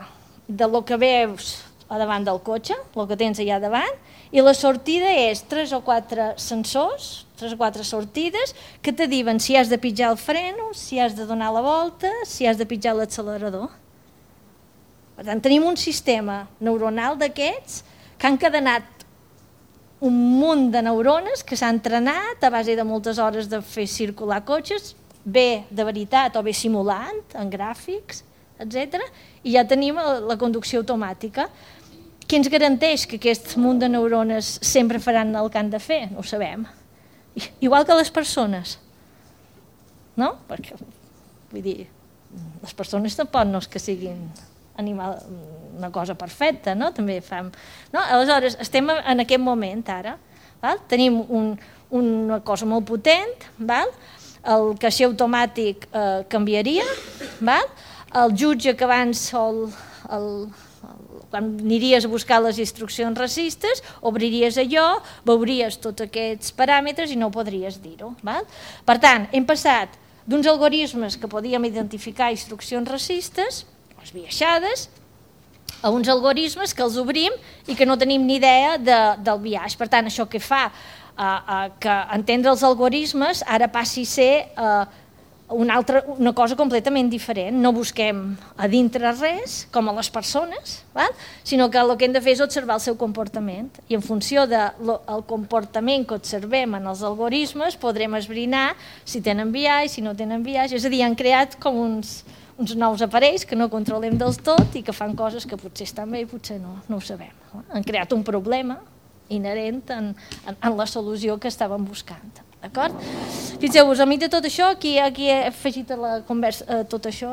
de lo que veus a davant del cotxe, el que tens allà davant, i la sortida és tres o quatre sensors, tres o quatre sortides, que te diuen si has de pitjar el freno, si has de donar la volta, si has de pitjar l'accelerador. Per tant, tenim un sistema neuronal d'aquests que han cadenat un munt de neurones que s'han entrenat a base de moltes hores de fer circular cotxes, bé de veritat o bé simulant, en gràfics, etcètera, i ja tenim la conducció automàtica. Què ens garanteix que aquest munt de neurones sempre faran el que han de fer? No ho sabem. Igual que les persones. No? Perquè, vull dir, les persones tampoc no és que siguin animal, una cosa perfecta, no? També fem... No? Aleshores, estem en aquest moment ara. Val? Tenim un, una cosa molt potent, val? El caixer automàtic eh, canviaria, val? El jutge que abans el, el, el, quan aniries a buscar les instruccions racistes, obriries allò, veuries tots aquests paràmetres i no podries dir-ho. Per tant, hem passat d'uns algoritmes que podíem identificar instruccions racistes, esbiaixades, a uns algoritmes que els obrim i que no tenim ni idea de, del biaix. Per tant, això que fa eh, eh, que entendre els algoritmes ara passi a ser eh, una, altra, una cosa completament diferent. No busquem a dintre res, com a les persones, val? Sinó que el que hem de fer és observar el seu comportament. I en funció del comportament que observem en els algoritmes podrem esbrinar si tenen biaix, si no tenen biaix. És a dir, han creat com uns, uns nous aparells que no controlem del tot i que fan coses que potser estan bé i potser no, no ho sabem. Han creat un problema inherent en, en, en la solució que estàvem buscant. D'acord? Fixeu-vos, al mig de tot això, aquí, aquí he afegit a la conversa eh, tot això,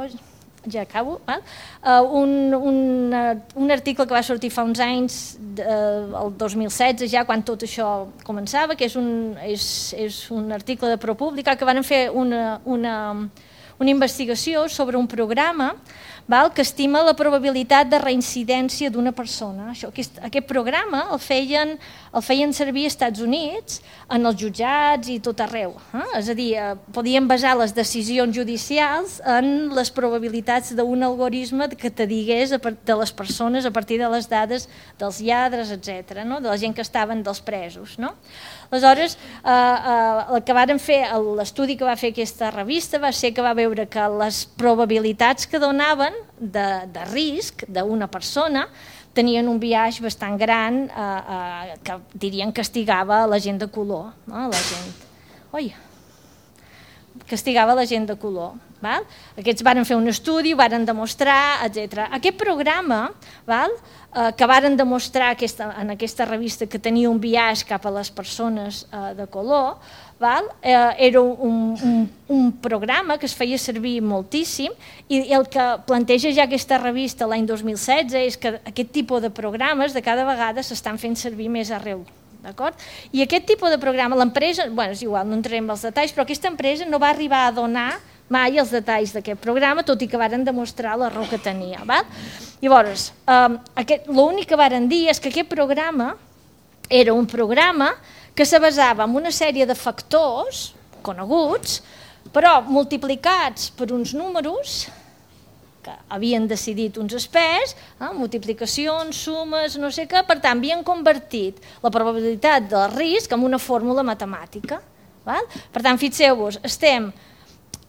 ja acabo, val? Uh, un, un, uh, un article que va sortir fa uns anys, uh, el dos mil setze, ja quan tot això començava, que és un, és, és un article de ProPublica, que van fer una, una, una investigació sobre un programa, val, que estima la probabilitat de reincidència d'una persona. Això, aquest, aquest programa el feien, el feien servir als Estats Units, en els jutjats i tot arreu. Eh? És a dir, eh, podien basar les decisions judicials en les probabilitats d'un algoritme que te digués a part de les persones a partir de les dades dels lladres, etcètera, no? De la gent que estaven dels presos. No? Aleshores, eh, eh, el que varen fer, l'estudi que va fer aquesta revista va ser que va veure que les probabilitats que donaven de, de risc d'una persona tenien un biaix bastant gran eh, eh, que dirien castigava la gent de color. No? La gent... Oi, castigava la gent de color. Val? Aquests varen fer un estudi, varen demostrar, etcètera. Aquest programa, val? Eh, que varen demostrar aquesta, en aquesta revista que tenia un biaix cap a les persones eh, de color, val? Eh, era un, un, un programa que es feia servir moltíssim i el que planteja ja aquesta revista l'any dos mil setze és que aquest tipus de programes de cada vegada s'estan fent servir més arreu. I aquest tipus de programa, l'empresa, bueno, és igual, no entrem en els detalls, però aquesta empresa no va arribar a donar mai els detalls d'aquest programa, tot i que varen demostrar l'error que tenia. Val? Llavors, eh, l'únic que varen dir és que aquest programa era un programa que se basava en una sèrie de factors coneguts, però multiplicats per uns números que havien decidit uns experts, eh, multiplicacions, sumes, no sé què, per tant, havien convertit la probabilitat del risc en una fórmula matemàtica. Val? Per tant, fixeu-vos, estem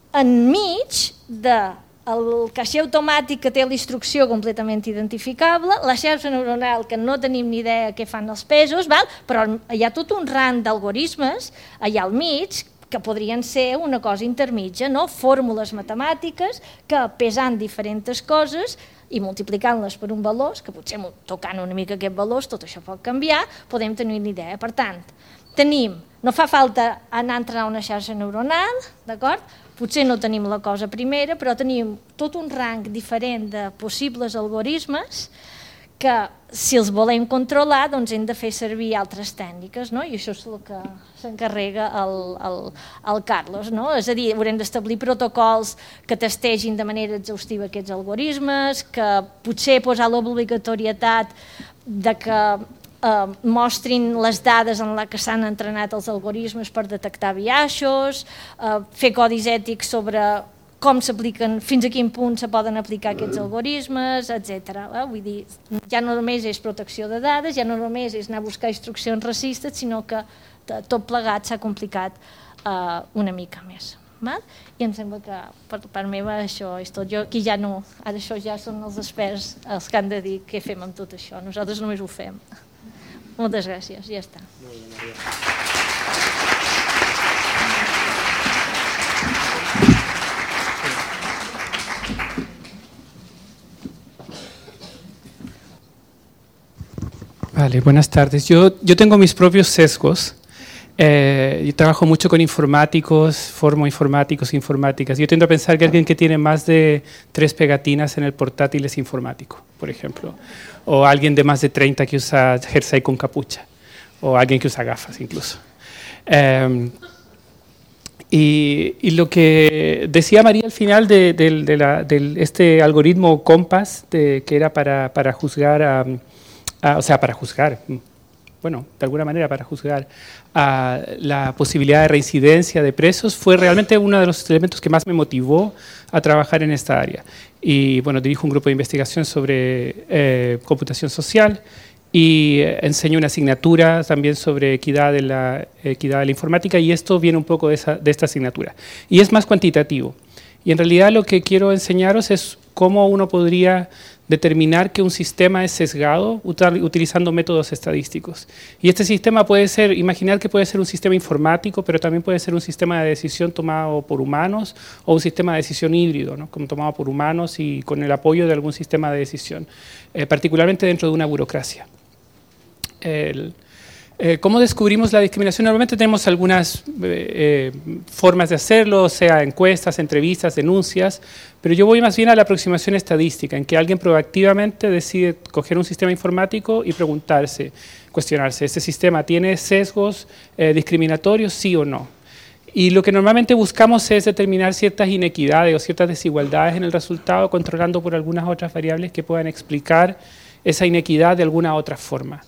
enmig del caixer automàtic que té la instrucció completament identificable, la xarxa neuronal que no tenim ni idea què fan els pesos, val? Però hi ha tot un rang d'algoritmes allà al mig que podrien ser una cosa intermitja, no? Fórmules matemàtiques que pesant diferents coses i multiplicant-les per un valor, que potser tocant una mica aquest valor, tot això pot canviar, podem tenir una idea. Per tant, tenim, no fa falta anar a entrenar una xarxa neuronal, d'acord? Potser no tenim la cosa primera, però tenim tot un rang diferent de possibles algoritmes que si els volem controlar doncs hem de fer servir altres tècniques, no? I això és el que s'encarrega el, el, el Carlos, no? És a dir, haurem d'establir protocols que testegin de manera exhaustiva aquests algoritmes, que potser posar l'obligatorietat de que eh, mostrin les dades en les que s'han entrenat els algoritmes per detectar biaixos, eh, fer codis ètics sobre com s'apliquen, fins a quin punt se poden aplicar aquests algoritmes, etcètera. Vull dir, ja no només és protecció de dades, ja no només és anar a buscar instruccions racistes, sinó que tot plegat s'ha complicat uh, una mica més. Val? I em sembla que per part meva això és tot. Jo aquí ja no, ara això ja són els experts els que han de dir què fem amb tot això. Nosaltres només ho fem. Moltes gràcies, ja està. Molt bé, Maria. Vale, buenas tardes. Yo, yo tengo mis propios sesgos. Eh, yo trabajo mucho con informáticos, formo informáticos, informáticas. Yo tiendo a pensar que alguien que tiene más de tres pegatinas en el portátil es informático, por ejemplo. O alguien de más de treinta que usa jersey con capucha. O alguien que usa gafas incluso. Eh, y, y lo que decía María al final de, de, de, la, de este algoritmo Compass, de, que era para, para juzgar a... Uh, o sea, para juzgar, bueno, de alguna manera para juzgar uh, la posibilidad de reincidencia de presos, fue realmente uno de los elementos que más me motivó a trabajar en esta área. Y bueno, dirijo un grupo de investigación sobre eh, computación social y eh, enseño una asignatura también sobre equidad de, la, equidad de la informática, y esto viene un poco de, esa, de esta asignatura. Y es más cuantitativo. Y en realidad lo que quiero enseñaros es cómo uno podría determinar que un sistema es sesgado utilizando métodos estadísticos. Y este sistema puede ser, imaginar que puede ser un sistema informático, pero también puede ser un sistema de decisión tomado por humanos o un sistema de decisión híbrido, ¿no? Como tomado por humanos y con el apoyo de algún sistema de decisión, eh, particularmente dentro de una burocracia. El, Eh, ¿Cómo descubrimos la discriminación? Normalmente tenemos algunas eh, eh, formas de hacerlo, sea encuestas, entrevistas, denuncias, pero yo voy más bien a la aproximación estadística, en que alguien proactivamente decide coger un sistema informático y preguntarse, cuestionarse, ¿este sistema tiene sesgos eh, discriminatorios, sí o no? Y lo que normalmente buscamos es determinar ciertas inequidades o ciertas desigualdades en el resultado, controlando por algunas otras variables que puedan explicar esa inequidad de alguna otra forma.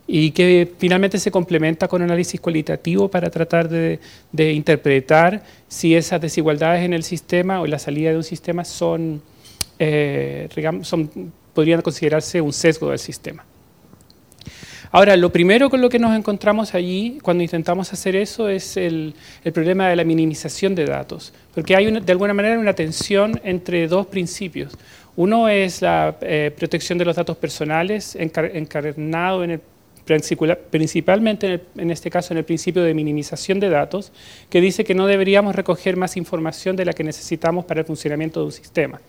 Y que finalmente se complementa con análisis cualitativo para tratar de, de interpretar si esas desigualdades en el sistema o en la salida de un sistema son, eh, son, podrían considerarse un sesgo del sistema. Ahora, lo primero con lo que nos encontramos allí, cuando intentamos hacer eso, es el, el problema de la minimización de datos, porque hay una, de alguna manera una tensión entre dos principios. Uno es la eh, protección de los datos personales, encar encarnado en el principalmente en, el, en este caso en el principio de minimización de datos, que dice que no deberíamos recoger más información de la que necesitamos para el funcionamiento de un sistema.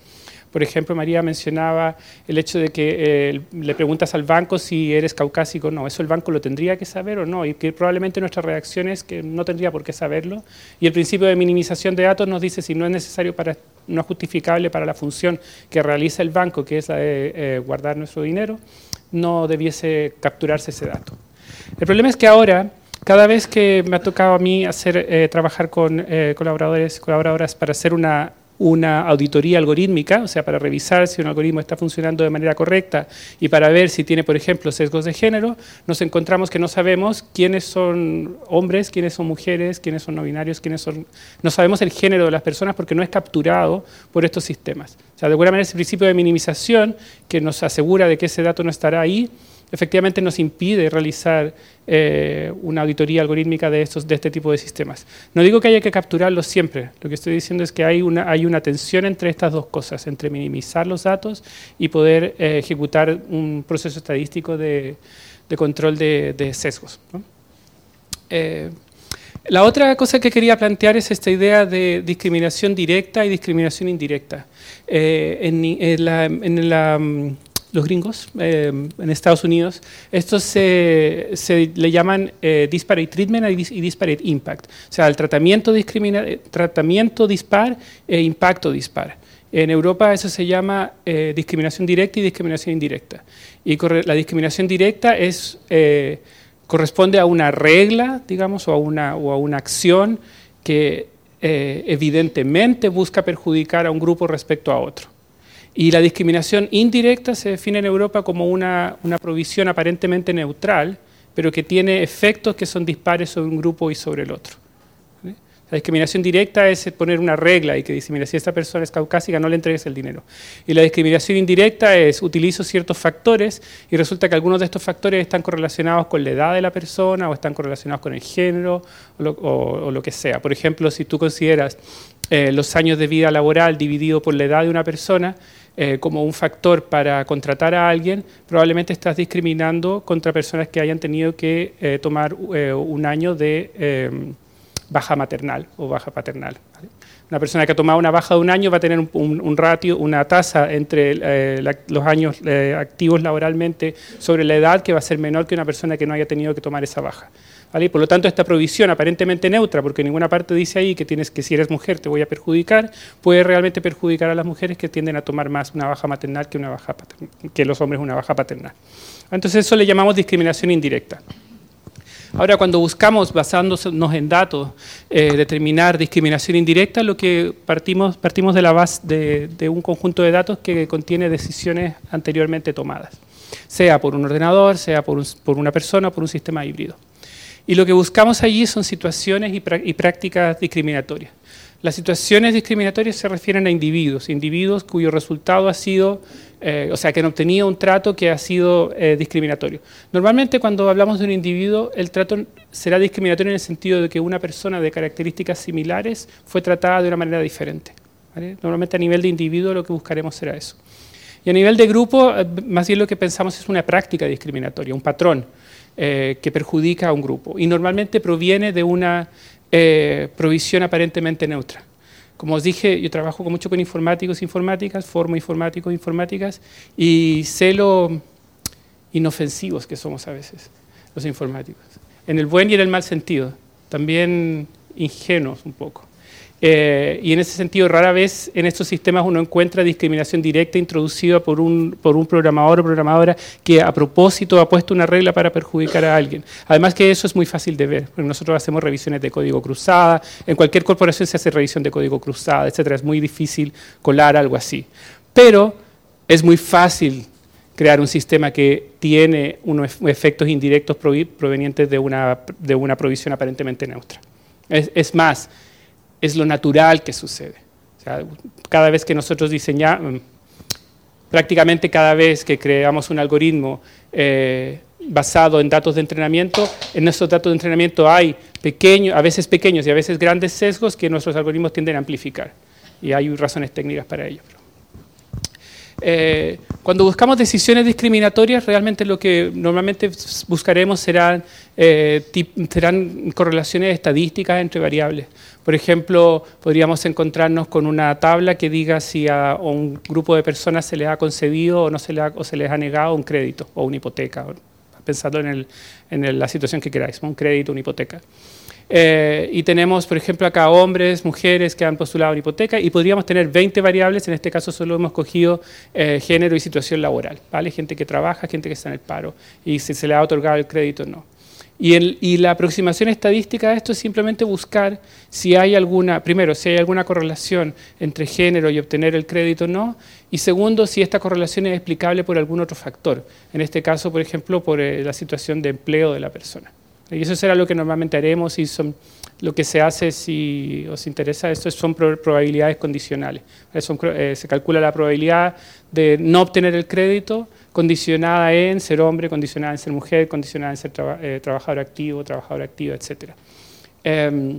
Por ejemplo, María mencionaba el hecho de que eh, le preguntas al banco si eres caucásico o no. ¿Eso el banco lo tendría que saber o no? Y que probablemente nuestra reacción es que no tendría por qué saberlo. Y el principio de minimización de datos nos dice si no es necesario, para, no es justificable para la función que realiza el banco, que es la de eh, guardar nuestro dinero, no debiese capturarse ese dato. El problema es que ahora, cada vez que me ha tocado a mí hacer, eh, trabajar con eh, colaboradores, colaboradoras para hacer una, una auditoría algorítmica, o sea, para revisar si un algoritmo está funcionando de manera correcta y para ver si tiene, por ejemplo, sesgos de género, nos encontramos que no sabemos quiénes son hombres, quiénes son mujeres, quiénes son no binarios, quiénes son... No sabemos el género de las personas porque no es capturado por estos sistemas. O sea, de alguna manera ese principio de minimización que nos asegura de que ese dato no estará ahí, efectivamente nos impide realizar eh, una auditoría algorítmica de, estos, de este tipo de sistemas. No digo que haya que capturarlos siempre, lo que estoy diciendo es que hay una, hay una tensión entre estas dos cosas, entre minimizar los datos y poder eh, ejecutar un proceso estadístico de, de control de, de sesgos, ¿no? Eh, la otra cosa que quería plantear es esta idea de discriminación directa y discriminación indirecta. Eh, en, en la... En la los gringos, eh, en Estados Unidos, estos se, se le llaman eh, disparate treatment y disparate impact, o sea, el tratamiento, discrimina, tratamiento dispar e impacto dispar. En Europa eso se llama eh, discriminación directa y discriminación indirecta. Y la discriminación directa es, eh, corresponde a una regla, digamos, o a una, o a una acción que eh, evidentemente busca perjudicar a un grupo respecto a otro. Y la discriminación indirecta se define en Europa como una, una provisión aparentemente neutral, pero que tiene efectos que son dispares sobre un grupo y sobre el otro. La discriminación directa es poner una regla y que dice, mira, si esta persona es caucásica, no le entregues el dinero. Y la discriminación indirecta es, utilizo ciertos factores y resulta que algunos de estos factores están correlacionados con la edad de la persona o están correlacionados con el género o lo, o, o lo que sea. Por ejemplo, si tú consideras eh, los años de vida laboral dividido por la edad de una persona eh, como un factor para contratar a alguien, probablemente estás discriminando contra personas que hayan tenido que eh, tomar eh, un año de... Eh, baja maternal o baja paternal. ¿Vale? Una persona que ha tomado una baja de un año va a tener un, un, un ratio, una tasa entre eh, la, los años eh, activos laboralmente sobre la edad que va a ser menor que una persona que no haya tenido que tomar esa baja. ¿Vale? Por lo tanto, esta provisión aparentemente neutra, porque en ninguna parte dice ahí que tienes que si eres mujer te voy a perjudicar, puede realmente perjudicar a las mujeres que tienden a tomar más una baja maternal que, una baja paternal, que los hombres una baja paternal. Entonces eso le llamamos discriminación indirecta. Ahora, cuando buscamos, basándonos en datos, eh, determinar discriminación indirecta, lo que partimos, partimos de la base de, de un conjunto de datos que contiene decisiones anteriormente tomadas, sea por un ordenador, sea por, un, por una persona o por un sistema híbrido. Y lo que buscamos allí son situaciones y, y prácticas discriminatorias. Las situaciones discriminatorias se refieren a individuos, individuos cuyo resultado ha sido, eh, o sea, que han obtenido un trato que ha sido eh, discriminatorio. Normalmente cuando hablamos de un individuo, el trato será discriminatorio en el sentido de que una persona de características similares fue tratada de una manera diferente. ¿Vale? Normalmente a nivel de individuo lo que buscaremos será eso. Y a nivel de grupo, más bien lo que pensamos es una práctica discriminatoria, un patrón eh, que perjudica a un grupo. Y normalmente proviene de una Eh, provisión aparentemente neutra. Como os dije, yo trabajo mucho con informáticos e informáticas, formo informáticos e informáticas, y sé lo inofensivos que somos a veces, los informáticos. En el buen y en el mal sentido, también ingenuos un poco. Eh, y en ese sentido, rara vez en estos sistemas uno encuentra discriminación directa introducida por un, por un programador o programadora que a propósito ha puesto una regla para perjudicar a alguien. Además que eso es muy fácil de ver, porque nosotros hacemos revisiones de código cruzada, en cualquier corporación se hace revisión de código cruzada, etcétera. Es muy difícil colar algo así. Pero es muy fácil crear un sistema que tiene unos efectos indirectos provenientes de una, de una provisión aparentemente neutra. Es, es más, es lo natural que sucede. O sea, cada vez que nosotros diseñamos, prácticamente cada vez que creamos un algoritmo eh, basado en datos de entrenamiento, en esos datos de entrenamiento hay pequeños, a veces pequeños y a veces grandes sesgos que nuestros algoritmos tienden a amplificar. Y hay razones técnicas para ello. Eh, cuando buscamos decisiones discriminatorias, realmente lo que normalmente buscaremos serán, eh, tip, serán correlaciones estadísticas entre variables. Por ejemplo, podríamos encontrarnos con una tabla que diga si a, a un grupo de personas se les ha concedido o, no se, les ha, o se les ha negado un crédito o una hipoteca, pensando en, el, en el, la situación que queráis, un crédito, una hipoteca. Eh, y tenemos, por ejemplo, acá hombres, mujeres que han postulado una hipoteca y podríamos tener veinte variables, en este caso solo hemos cogido eh, género y situación laboral, ¿vale? Gente que trabaja, gente que está en el paro y si se le ha otorgado el crédito o no. Y, el, y la aproximación estadística a esto es simplemente buscar si hay alguna, primero, si hay alguna correlación entre género y obtener el crédito o no, y segundo, si esta correlación es explicable por algún otro factor, en este caso, por ejemplo, por eh, la situación de empleo de la persona. Y eso será lo que normalmente haremos y son, lo que se hace, si os interesa esto, son probabilidades condicionales. Son, eh, se calcula la probabilidad de no obtener el crédito condicionada en ser hombre, condicionada en ser mujer, condicionada en ser traba, eh, trabajador activo, trabajadora activa, etcétera. Eh,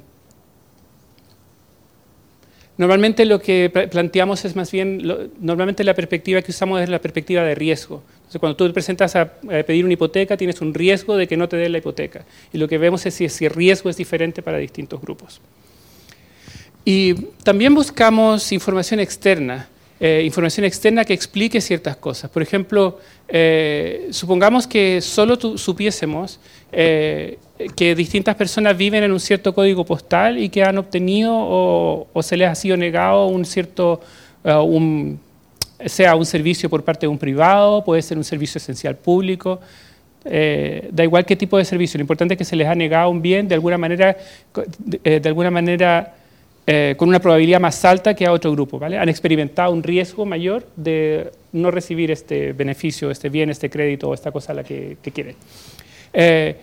normalmente lo que planteamos es más bien, lo, normalmente la perspectiva que usamos es la perspectiva de riesgo. Entonces, cuando tú te presentas a, a pedir una hipoteca, tienes un riesgo de que no te den la hipoteca. Y lo que vemos es si ese riesgo es diferente para distintos grupos. Y también buscamos información externa. Eh, información externa que explique ciertas cosas. Por ejemplo, eh, supongamos que solo tu, supiésemos eh, que distintas personas viven en un cierto código postal y que han obtenido o, o se les ha sido negado un cierto, uh, un, sea un servicio por parte de un privado, puede ser un servicio esencial público, eh, da igual qué tipo de servicio, lo importante es que se les ha negado un bien de alguna manera, de, de alguna manera eh, con una probabilidad más alta que a otro grupo, ¿vale? Han experimentado un riesgo mayor de no recibir este beneficio, este bien, este crédito o esta cosa a la que, que quieren. Eh,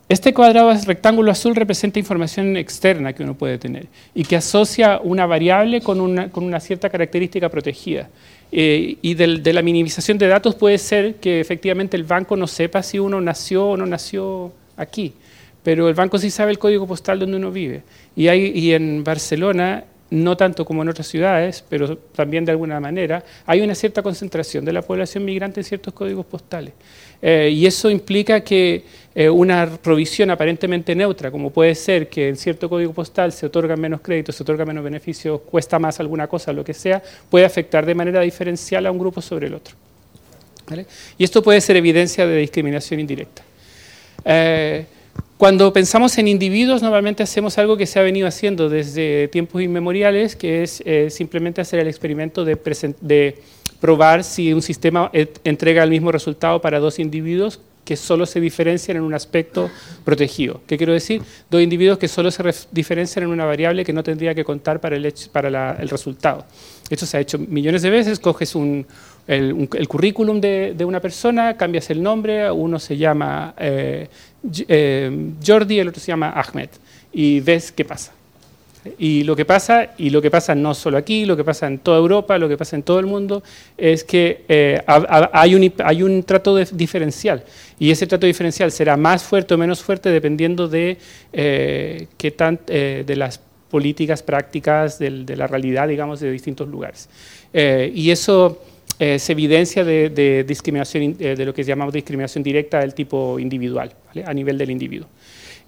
Este cuadrado rectángulo azul representa información externa que uno puede tener y que asocia una variable con una, con una cierta característica protegida. Eh, y de, de la minimización de datos puede ser que efectivamente el banco no sepa si uno nació o no nació aquí, pero el banco sí sabe el código postal donde uno vive. Y, hay, y en Barcelona, no tanto como en otras ciudades, pero también de alguna manera, hay una cierta concentración de la población migrante en ciertos códigos postales. Eh, y eso implica que eh, una provisión aparentemente neutra, como puede ser que en cierto código postal se otorgan menos créditos, se otorgan menos beneficios, cuesta más alguna cosa, lo que sea, puede afectar de manera diferencial a un grupo sobre el otro. ¿Vale? Y esto puede ser evidencia de discriminación indirecta. Eh, Cuando pensamos en individuos, normalmente hacemos algo que se ha venido haciendo desde tiempos inmemoriales, que es eh, simplemente hacer el experimento de, de probar si un sistema entrega el mismo resultado para dos individuos que solo se diferencian en un aspecto protegido. ¿Qué quiero decir? Dos individuos que solo se diferencian en una variable que no tendría que contar para el, hecho, para la, el resultado. Esto se ha hecho millones de veces, coges un, el, un, el currículum de, de una persona, cambias el nombre, uno se llama eh, eh, Jordi, el otro se llama Ahmed, y ves qué pasa. Y lo que pasa, y lo que pasa no solo aquí, lo que pasa en toda Europa, lo que pasa en todo el mundo, es que eh, hay, un, hay un trato de, diferencial, y ese trato diferencial será más fuerte o menos fuerte dependiendo de, eh, qué tan, eh, de las políticas, prácticas, de, de la realidad, digamos, de distintos lugares. Eh, y eso eh, se evidencia de, de discriminación, eh, de lo que llamamos discriminación directa del tipo individual, ¿vale? A nivel del individuo.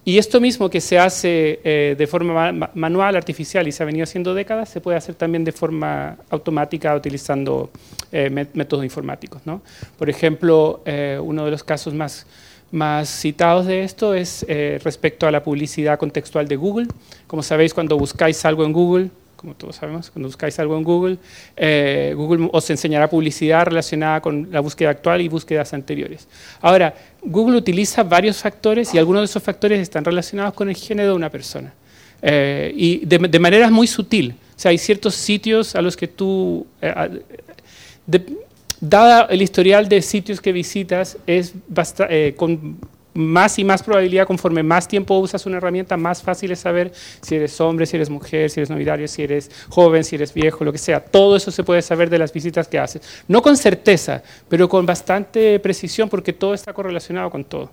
Y esto mismo que se hace eh, de forma ma manual, artificial, y se ha venido haciendo décadas, se puede hacer también de forma automática utilizando eh, métodos informáticos, ¿no? Por ejemplo, eh, uno de los casos más, más citados de esto es eh, respecto a la publicidad contextual de Google. Como sabéis, cuando buscáis algo en Google, como todos sabemos, cuando buscáis algo en Google, eh, Google os enseñará publicidad relacionada con la búsqueda actual y búsquedas anteriores. Ahora, Google utiliza varios factores y algunos de esos factores están relacionados con el género de una persona. Eh, y de, de manera muy sutil. O sea, hay ciertos sitios a los que tú... Eh, de, dada el historial de sitios que visitas, es basta, eh, con más y más probabilidad, conforme más tiempo usas una herramienta, más fácil es saber si eres hombre, si eres mujer, si eres no binario, si eres joven, si eres viejo, lo que sea. Todo eso se puede saber de las visitas que haces. No con certeza, pero con bastante precisión, porque todo está correlacionado con todo.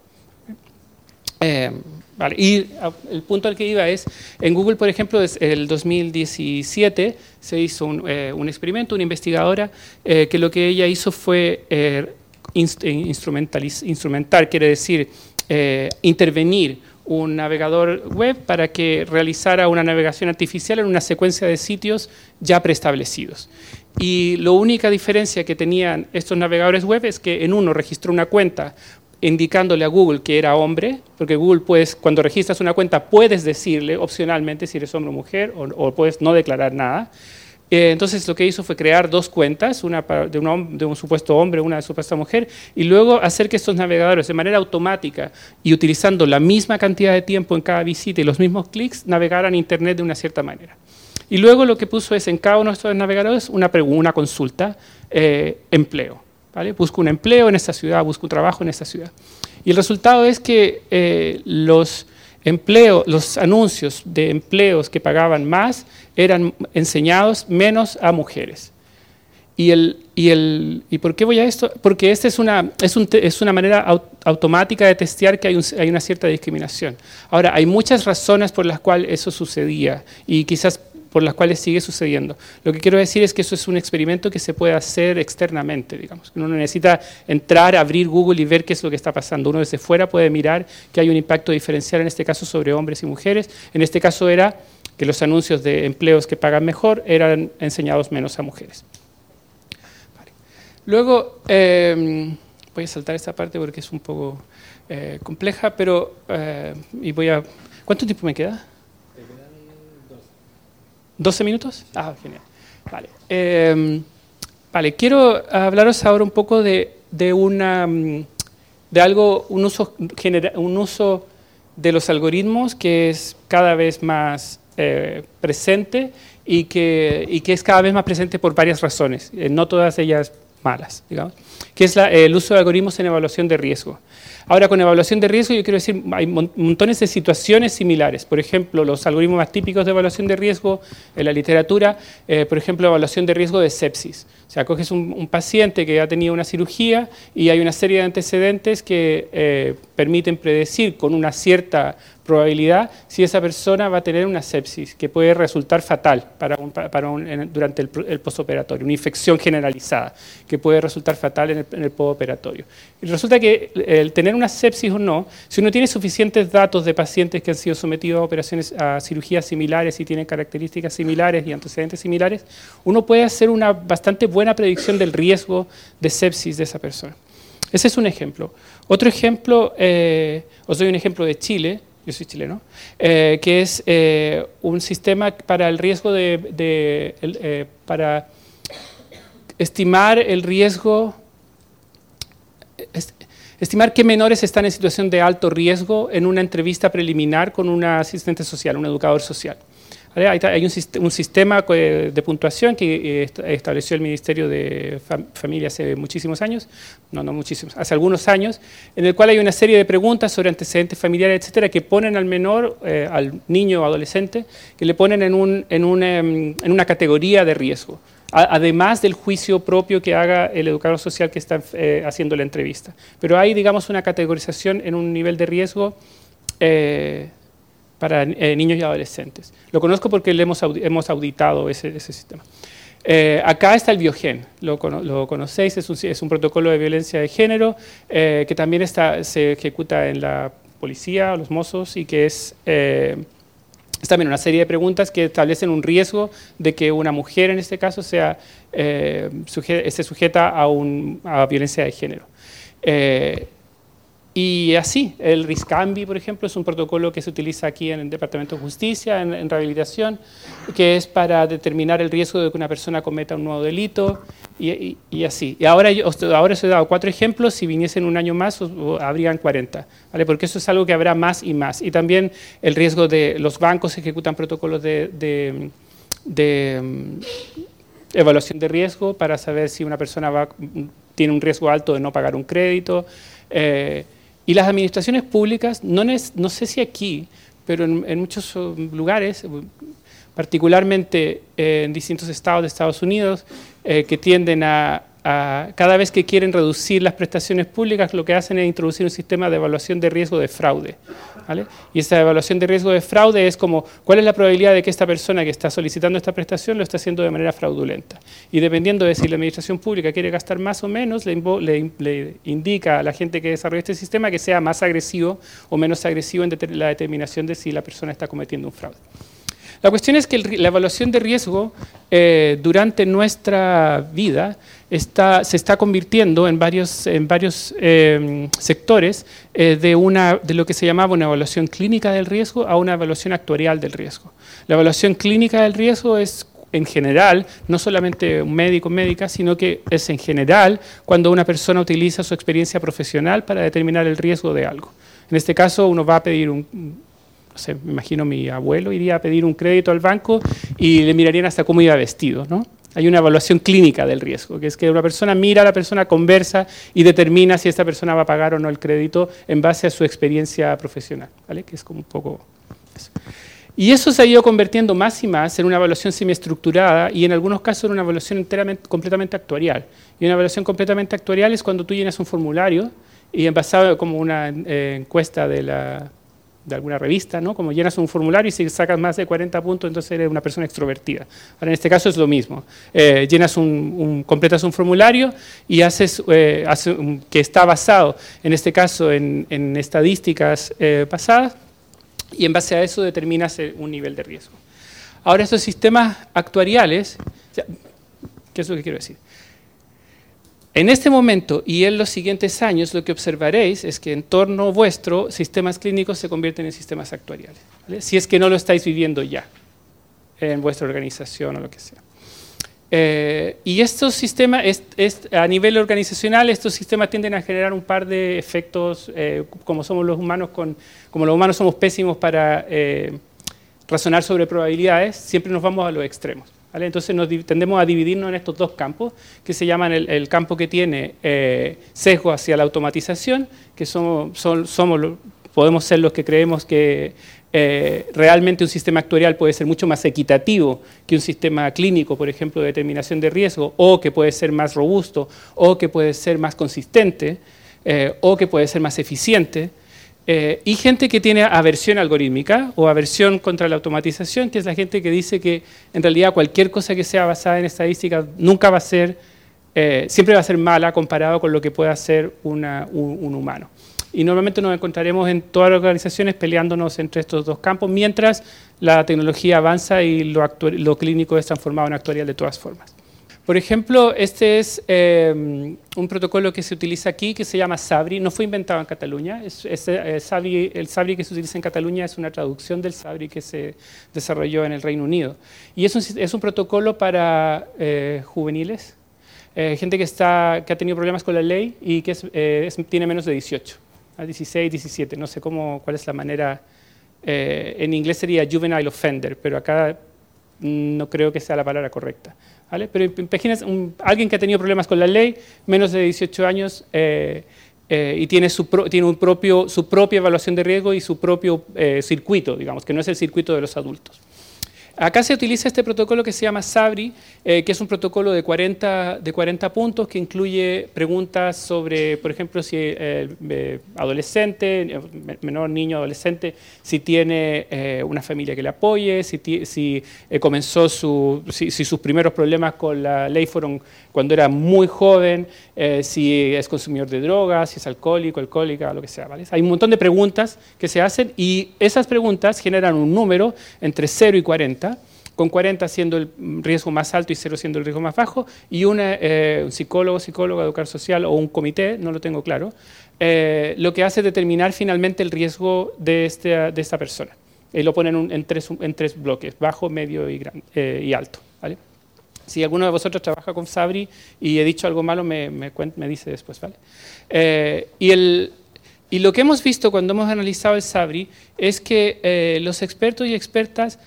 Eh, vale. Y el punto al que iba es, en Google, por ejemplo, desde el dos mil diecisiete se hizo un, eh, un experimento, una investigadora, eh, que lo que ella hizo fue eh, instrumentar, quiere decir, Eh, intervenir un navegador web para que realizara una navegación artificial en una secuencia de sitios ya preestablecidos. Y la única diferencia que tenían estos navegadores web es que en uno registró una cuenta indicándole a Google que era hombre, porque Google, puedes, cuando registras una cuenta, puedes decirle opcionalmente si eres hombre o mujer, o, o puedes no declarar nada. Eh, entonces lo que hizo fue crear dos cuentas, una para, de, un, de un supuesto hombre, una de supuesta mujer, y luego hacer que estos navegadores de manera automática y utilizando la misma cantidad de tiempo en cada visita y los mismos clics, navegaran Internet de una cierta manera. Y luego lo que puso es en cada uno de estos navegadores una, una consulta, eh, empleo. ¿Vale? Busco un empleo en esta ciudad, busco un trabajo en esta ciudad. Y el resultado es que eh, los... Empleo, los anuncios de empleos que pagaban más eran enseñados menos a mujeres. ¿Y, el, y, el, ¿y por qué voy a esto? Porque esta es una, es un, es una manera aut, automática de testear que hay, un, hay una cierta discriminación. Ahora, hay muchas razones por las cuales eso sucedía y quizás por las cuales sigue sucediendo. Lo que quiero decir es que eso es un experimento que se puede hacer externamente, digamos. Uno no necesita entrar, abrir Google y ver qué es lo que está pasando. Uno desde fuera puede mirar que hay un impacto diferencial, en este caso sobre hombres y mujeres. En este caso era que los anuncios de empleos que pagan mejor eran enseñados menos a mujeres. Vale. Luego, eh, voy a saltar esta parte porque es un poco eh, compleja, pero eh, y voy a... ¿Cuánto tiempo me queda? ¿doce minutos? Ah, genial. Vale. Eh, vale, quiero hablaros ahora un poco de, de, una, de algo, un uso, un uso de los algoritmos que es cada vez más eh, presente y que, y que es cada vez más presente por varias razones, eh, no todas ellas malas, digamos, que es la, el uso de algoritmos en evaluación de riesgo. Ahora, con evaluación de riesgo, yo quiero decir, hay montones de situaciones similares. Por ejemplo, los algoritmos más típicos de evaluación de riesgo en la literatura, eh, por ejemplo, evaluación de riesgo de sepsis. O sea, coges un, un paciente que ha tenido una cirugía y hay una serie de antecedentes que eh, permiten predecir con una cierta probabilidad si esa persona va a tener una sepsis, que puede resultar fatal para un, para un, durante el, el postoperatorio, una infección generalizada, que puede resultar fatal en el, en el postoperatorio. Y resulta que el tener una sepsis o no, si uno tiene suficientes datos de pacientes que han sido sometidos a operaciones, a cirugías similares y tienen características similares y antecedentes similares, uno puede hacer una bastante buena predicción del riesgo de sepsis de esa persona. Ese es un ejemplo. Otro ejemplo, eh, os doy un ejemplo de Chile. Yo soy chileno, eh, que es eh, un sistema para el riesgo de, de el, eh, para estimar el riesgo, est estimar qué menores están en situación de alto riesgo en una entrevista preliminar con un asistente social, un educador social. ¿Vale? Hay un, un sistema de puntuación que estableció el Ministerio de Familia hace muchísimos años, no, no muchísimos, hace algunos años, en el cual hay una serie de preguntas sobre antecedentes familiares, etcétera, que ponen al menor, eh, al niño o adolescente, que le ponen en, un, en, un, en una categoría de riesgo, además del juicio propio que haga el educador social que está eh, haciendo la entrevista. Pero hay, digamos, una categorización en un nivel de riesgo eh, para eh, niños y adolescentes. Lo conozco porque le hemos, audi hemos auditado ese, ese sistema. Eh, acá está el Biogen, lo, lo conocéis, es un, es un protocolo de violencia de género eh, que también está, se ejecuta en la policía, los mozos, y que es, eh, es también una serie de preguntas que establecen un riesgo de que una mujer, en este caso, sea, eh, suje esté sujeta a, un, a violencia de género. Eh, Y así, el RISCAMBI, por ejemplo, es un protocolo que se utiliza aquí en el Departamento de Justicia, en, en rehabilitación, que es para determinar el riesgo de que una persona cometa un nuevo delito, y, y, y así. Y ahora, yo, ahora os he dado cuatro ejemplos, si viniesen un año más, os, os habrían cuarenta, ¿vale? Porque eso es algo que habrá más y más. Y también el riesgo de los bancos ejecutan protocolos de, de, de um, evaluación de riesgo para saber si una persona va, tiene un riesgo alto de no pagar un crédito. Eh, Y las administraciones públicas, no, es, no sé si aquí, pero en, en muchos lugares, particularmente eh, en distintos estados de Estados Unidos, eh, que tienden a, a, cada vez que quieren reducir las prestaciones públicas, lo que hacen es introducir un sistema de evaluación de riesgo de fraude, ¿vale? Y esta evaluación de riesgo de fraude es como, ¿cuál es la probabilidad de que esta persona que está solicitando esta prestación lo está haciendo de manera fraudulenta? Y dependiendo de si la administración pública quiere gastar más o menos, le, le, le indica a la gente que desarrolla este sistema que sea más agresivo o menos agresivo en de, la determinación de si la persona está cometiendo un fraude. La cuestión es que el, la evaluación de riesgo eh, durante nuestra vida está, se está convirtiendo en varios, en varios eh, sectores eh, de, una, de lo que se llamaba una evaluación clínica del riesgo a una evaluación actuarial del riesgo. La evaluación clínica del riesgo es, en general, no solamente un médico o médica, sino que es en general cuando una persona utiliza su experiencia profesional para determinar el riesgo de algo. En este caso, uno va a pedir un... No sé, me imagino mi abuelo iría a pedir un crédito al banco y le mirarían hasta cómo iba vestido, ¿no? Hay una evaluación clínica del riesgo, que es que una persona mira a la persona, conversa y determina si esta persona va a pagar o no el crédito en base a su experiencia profesional, ¿vale? Que es como un poco eso. Y eso se ha ido convirtiendo más y más en una evaluación semiestructurada y en algunos casos en una evaluación enteramente, completamente actuarial. Y una evaluación completamente actuarial es cuando tú llenas un formulario y en basado como una eh, encuesta de la... de alguna revista, ¿no? Como llenas un formulario y si sacas más de cuarenta puntos, entonces eres una persona extrovertida. Ahora, en este caso es lo mismo. Eh, llenas un, un, completas un formulario y haces, eh, hace un, que está basado, en este caso, en, en estadísticas eh, pasadas, y en base a eso determinas un nivel de riesgo. Ahora, estos sistemas actuariales, ¿qué es lo que quiero decir? En este momento y en los siguientes años lo que observaréis es que en torno vuestro sistemas clínicos se convierten en sistemas actuariales, ¿vale? Si es que no lo estáis viviendo ya en vuestra organización o lo que sea. Eh, y estos sistemas, es, es, a nivel organizacional, estos sistemas tienden a generar un par de efectos, eh, como somos los humanos, con, como los humanos somos pésimos para eh, razonar sobre probabilidades, siempre nos vamos a los extremos, ¿vale? Entonces nos tendemos a dividirnos en estos dos campos, que se llaman el, el campo que tiene eh, sesgo hacia la automatización, que somos, son, somos, podemos ser los que creemos que Eh, realmente un sistema actuarial puede ser mucho más equitativo que un sistema clínico, por ejemplo, de determinación de riesgo, o que puede ser más robusto, o que puede ser más consistente, eh, o que puede ser más eficiente, eh, y gente que tiene aversión algorítmica o aversión contra la automatización, que es la gente que dice que en realidad cualquier cosa que sea basada en estadística nunca va a ser, eh, siempre va a ser mala comparado con lo que puede hacer una, un, un humano. Y normalmente nos encontraremos en todas las organizaciones peleándonos entre estos dos campos, mientras la tecnología avanza y lo, lo clínico es transformado en actuarial de todas formas. Por ejemplo, este es eh, un protocolo que se utiliza aquí, que se llama SABRI. No fue inventado en Cataluña. Es, es, eh, SABRI, el SABRI que se utiliza en Cataluña es una traducción del SABRI que se desarrolló en el Reino Unido. Y es un, es un protocolo para eh, juveniles, eh, gente que, está, que ha tenido problemas con la ley y que es, eh, es, tiene menos de dieciocho. A dieciséis, diecisiete, no sé cómo, cuál es la manera, eh, en inglés sería juvenile offender, pero acá no creo que sea la palabra correcta, ¿vale? Pero imagínense, un, alguien que ha tenido problemas con la ley, menos de dieciocho años, eh, eh, y tiene, su, pro, tiene un propio, su propia evaluación de riesgo y su propio eh, circuito, digamos, que no es el circuito de los adultos. Acá se utiliza este protocolo que se llama SABRI, eh, que es un protocolo de cuarenta, de cuarenta puntos que incluye preguntas sobre, por ejemplo, si el eh, adolescente, menor niño adolescente, si tiene eh, una familia que le apoye, si, si eh, comenzó su, si, si sus primeros problemas con la ley fueron cuando era muy joven, eh, si es consumidor de drogas, si es alcohólico, alcohólica, lo que sea, ¿vale? Hay un montón de preguntas que se hacen y esas preguntas generan un número entre cero y cuarenta, con cuarenta siendo el riesgo más alto y cero siendo el riesgo más bajo, y una, eh, un psicólogo, psicóloga, educador social o un comité, no lo tengo claro, eh, lo que hace es determinar finalmente el riesgo de, este, de esta persona. Y lo ponen en, en, tres, en tres bloques, bajo, medio y, gran, eh, y alto, ¿vale? Si alguno de vosotros trabaja con SABRI y he dicho algo malo, me, me, me dice después, ¿vale? Eh, y, el, y lo que hemos visto cuando hemos analizado el SABRI es que eh, los expertos y expertas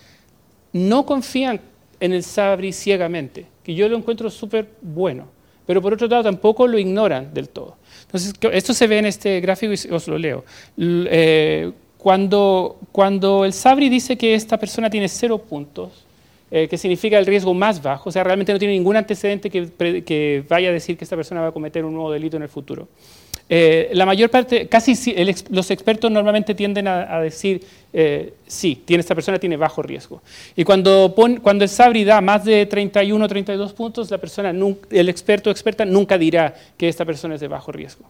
no confían en el SABRI ciegamente, que yo lo encuentro súper bueno, pero por otro lado tampoco lo ignoran del todo. Entonces, esto se ve en este gráfico y os lo leo. L eh, cuando, cuando el SABRI dice que esta persona tiene cero puntos, eh, que significa el riesgo más bajo, o sea, realmente no tiene ningún antecedente que, que vaya a decir que esta persona va a cometer un nuevo delito en el futuro. Eh, la mayor parte, casi el, los expertos normalmente tienden a, a decir, eh, sí, tiene, esta persona tiene bajo riesgo. Y cuando, pon, cuando el SABRI da más de treinta y uno, treinta y dos puntos, la persona, nunca, el experto o experta nunca dirá que esta persona es de bajo riesgo.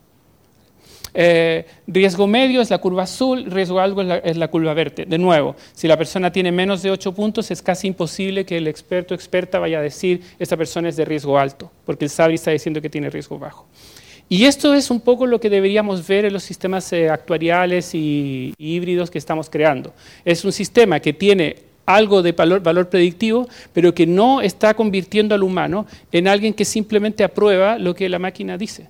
Eh, riesgo medio es la curva azul, riesgo alto es la, es la curva verde. De nuevo, si la persona tiene menos de ocho puntos, es casi imposible que el experto o experta vaya a decir esta persona es de riesgo alto, porque el SABRI está diciendo que tiene riesgo bajo. Y esto es un poco lo que deberíamos ver en los sistemas eh, actuariales y, y híbridos que estamos creando. Es un sistema que tiene algo de valor, valor predictivo, pero que no está convirtiendo al humano en alguien que simplemente aprueba lo que la máquina dice.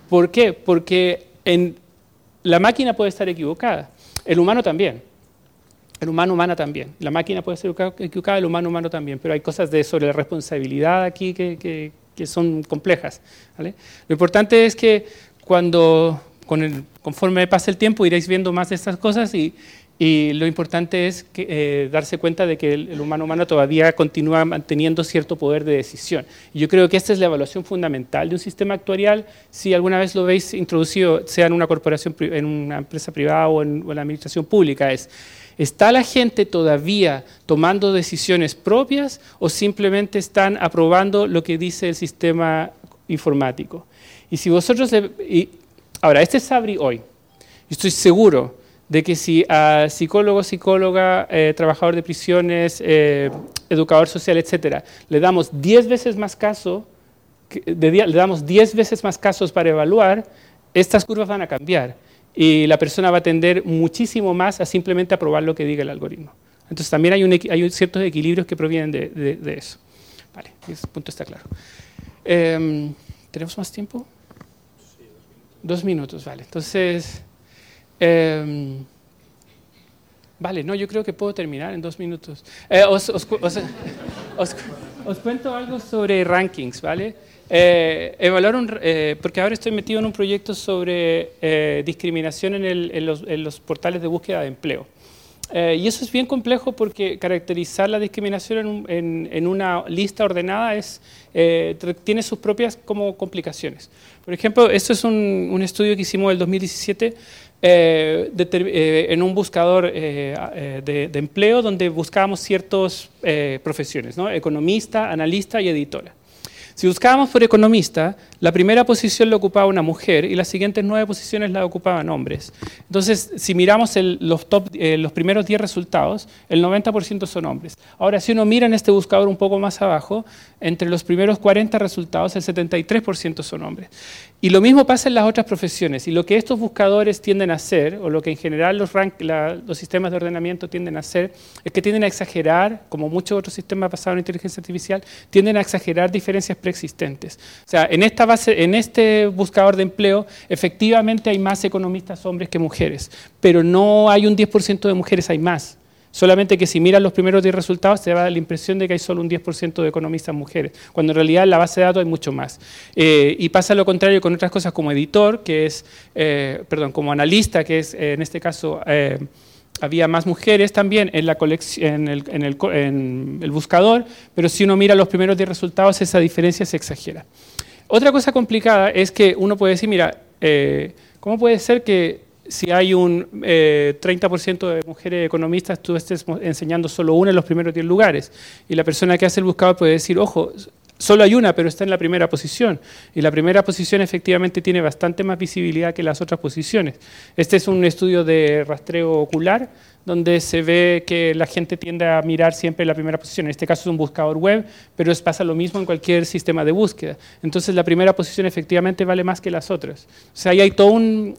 ¿Por qué? Porque en, la máquina puede estar equivocada, el humano también. El humano humana también. La máquina puede ser equivocada, el humano humano también. Pero hay cosas de, sobre la responsabilidad aquí que... que que son complejas, ¿vale? Lo importante es que cuando, con el, conforme pase el tiempo, iréis viendo más de estas cosas y, y lo importante es que, eh, darse cuenta de que el, el humano humano todavía continúa manteniendo cierto poder de decisión. Y yo creo que esta es la evaluación fundamental de un sistema actuarial. Si alguna vez lo veis introducido, sea en una corporación, en una empresa privada o en, o en la administración pública, es... ¿Está la gente todavía tomando decisiones propias o simplemente están aprobando lo que dice el sistema informático? Y si vosotros... Le, y, ahora, este es SABRI hoy. Estoy seguro de que si a psicólogo, psicóloga, eh, trabajador de prisiones, eh, educador social, etcétera, le damos diez veces más caso, de, le damos diez veces más casos para evaluar, estas curvas van a cambiar. Y la persona va a tender muchísimo más a simplemente aprobar lo que diga el algoritmo. Entonces también hay, un, hay ciertos equilibrios que provienen de, de, de eso. Vale, ese punto está claro. Eh, ¿Tenemos más tiempo? Sí, dos minutos. Dos minutos, vale. Entonces, eh, vale, no, yo creo que puedo terminar en dos minutos. Eh, os, os, os, os, os cuento algo sobre rankings, ¿vale? Eh, evaluar un, eh, porque ahora estoy metido en un proyecto sobre eh, discriminación en, el, en, los, en los portales de búsqueda de empleo. Eh, y eso es bien complejo porque caracterizar la discriminación en, un, en, en una lista ordenada es, eh, tiene sus propias como complicaciones. Por ejemplo, esto es un, un estudio que hicimos en el dos mil diecisiete eh, de, eh, en un buscador eh, de, de empleo donde buscábamos ciertas eh, profesiones, ¿no? Economista, analista y editora. Si buscábamos por economista, la primera posición la ocupaba una mujer y las siguientes nueve posiciones la ocupaban hombres. Entonces, si miramos el, los, top, eh, los primeros diez resultados, el noventa por ciento son hombres. Ahora, si uno mira en este buscador un poco más abajo, entre los primeros cuarenta resultados, el setenta y tres por ciento son hombres. Y lo mismo pasa en las otras profesiones. Y lo que estos buscadores tienden a hacer, o lo que en general los, rank, la, los sistemas de ordenamiento tienden a hacer, es que tienden a exagerar, como muchos otros sistemas basados en inteligencia artificial, tienden a exagerar diferencias preexistentes. O sea, en esta base, en este buscador de empleo, efectivamente hay más economistas hombres que mujeres, pero no hay un diez por ciento de mujeres, hay más. Solamente que si miras los primeros diez resultados te va a dar la impresión de que hay solo un diez por ciento de economistas mujeres, cuando en realidad en la base de datos hay mucho más. Eh, y pasa lo contrario con otras cosas como editor, que es, eh, perdón, como analista, que es eh, en este caso... Eh, había más mujeres también en, la en, el, en, el, en el buscador, pero si uno mira los primeros diez resultados, esa diferencia se exagera. Otra cosa complicada es que uno puede decir, mira, eh, ¿cómo puede ser que si hay un eh, treinta por ciento de mujeres economistas, tú estés enseñando solo una en los primeros diez lugares? Y la persona que hace el buscador puede decir, ojo, solo hay una, pero está en la primera posición. Y la primera posición efectivamente tiene bastante más visibilidad que las otras posiciones. Este es un estudio de rastreo ocular, donde se ve que la gente tiende a mirar siempre la primera posición. En este caso es un buscador web, pero es, pasa lo mismo en cualquier sistema de búsqueda. Entonces la primera posición efectivamente vale más que las otras. O sea, ahí hay todo un...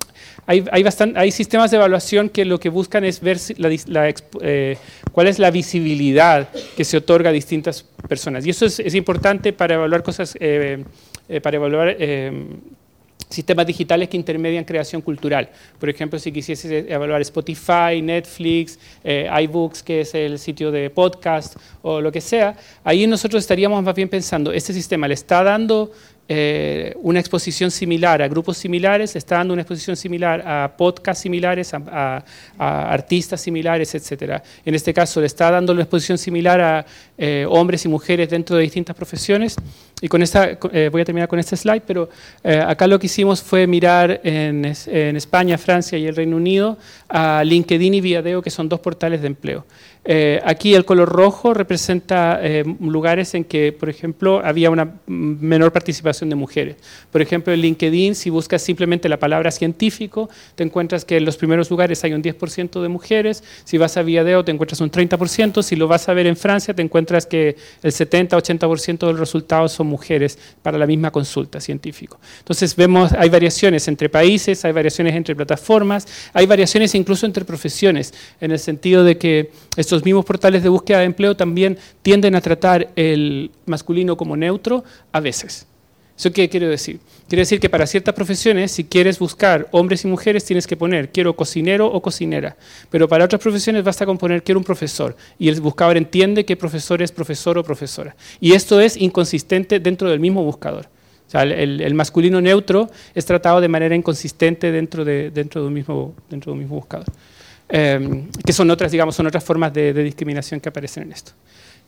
Hay, hay, bastante, hay sistemas de evaluación que lo que buscan es ver la, la, eh, cuál es la visibilidad que se otorga a distintas personas. Y eso es, es importante para evaluar cosas, eh, eh, para evaluar... Eh, sistemas digitales que intermedian creación cultural. Por ejemplo, si quisiese evaluar Spotify, Netflix, eh, iBooks, que es el sitio de podcast o lo que sea, ahí nosotros estaríamos más bien pensando, este sistema le está dando eh, una exposición similar a grupos similares, le está dando una exposición similar a podcasts similares, a, a, a artistas similares, etcétera. En este caso, le está dando una exposición similar a eh, hombres y mujeres dentro de distintas profesiones. Y con esta, eh, voy a terminar con este slide, pero eh, acá lo que hicimos fue mirar en, en España, Francia y el Reino Unido a LinkedIn y Viadeo, que son dos portales de empleo. Eh, aquí el color rojo representa eh, lugares en que, por ejemplo, había una menor participación de mujeres. Por ejemplo, en LinkedIn, si buscas simplemente la palabra científico, te encuentras que en los primeros lugares hay un diez por ciento de mujeres. Si vas a Viadeo, te encuentras un treinta por ciento. Si lo vas a ver en Francia, te encuentras que el setenta a ochenta por ciento de los resultados son mujeres para la misma consulta científico. Entonces, vemos, hay variaciones entre países, hay variaciones entre plataformas, hay variaciones incluso entre profesiones, en el sentido de que estos Los mismos portales de búsqueda de empleo también tienden a tratar el masculino como neutro a veces. ¿Eso qué quiero decir? Quiere decir que para ciertas profesiones, si quieres buscar hombres y mujeres, tienes que poner quiero cocinero o cocinera. Pero para otras profesiones basta con poner quiero un profesor. Y el buscador entiende que profesor es profesor o profesora. Y esto es inconsistente dentro del mismo buscador. O sea, el, el masculino neutro es tratado de manera inconsistente dentro de, dentro de un mismo, dentro de un mismo buscador. Eh, que son otras, digamos, son otras formas de, de discriminación que aparecen en esto.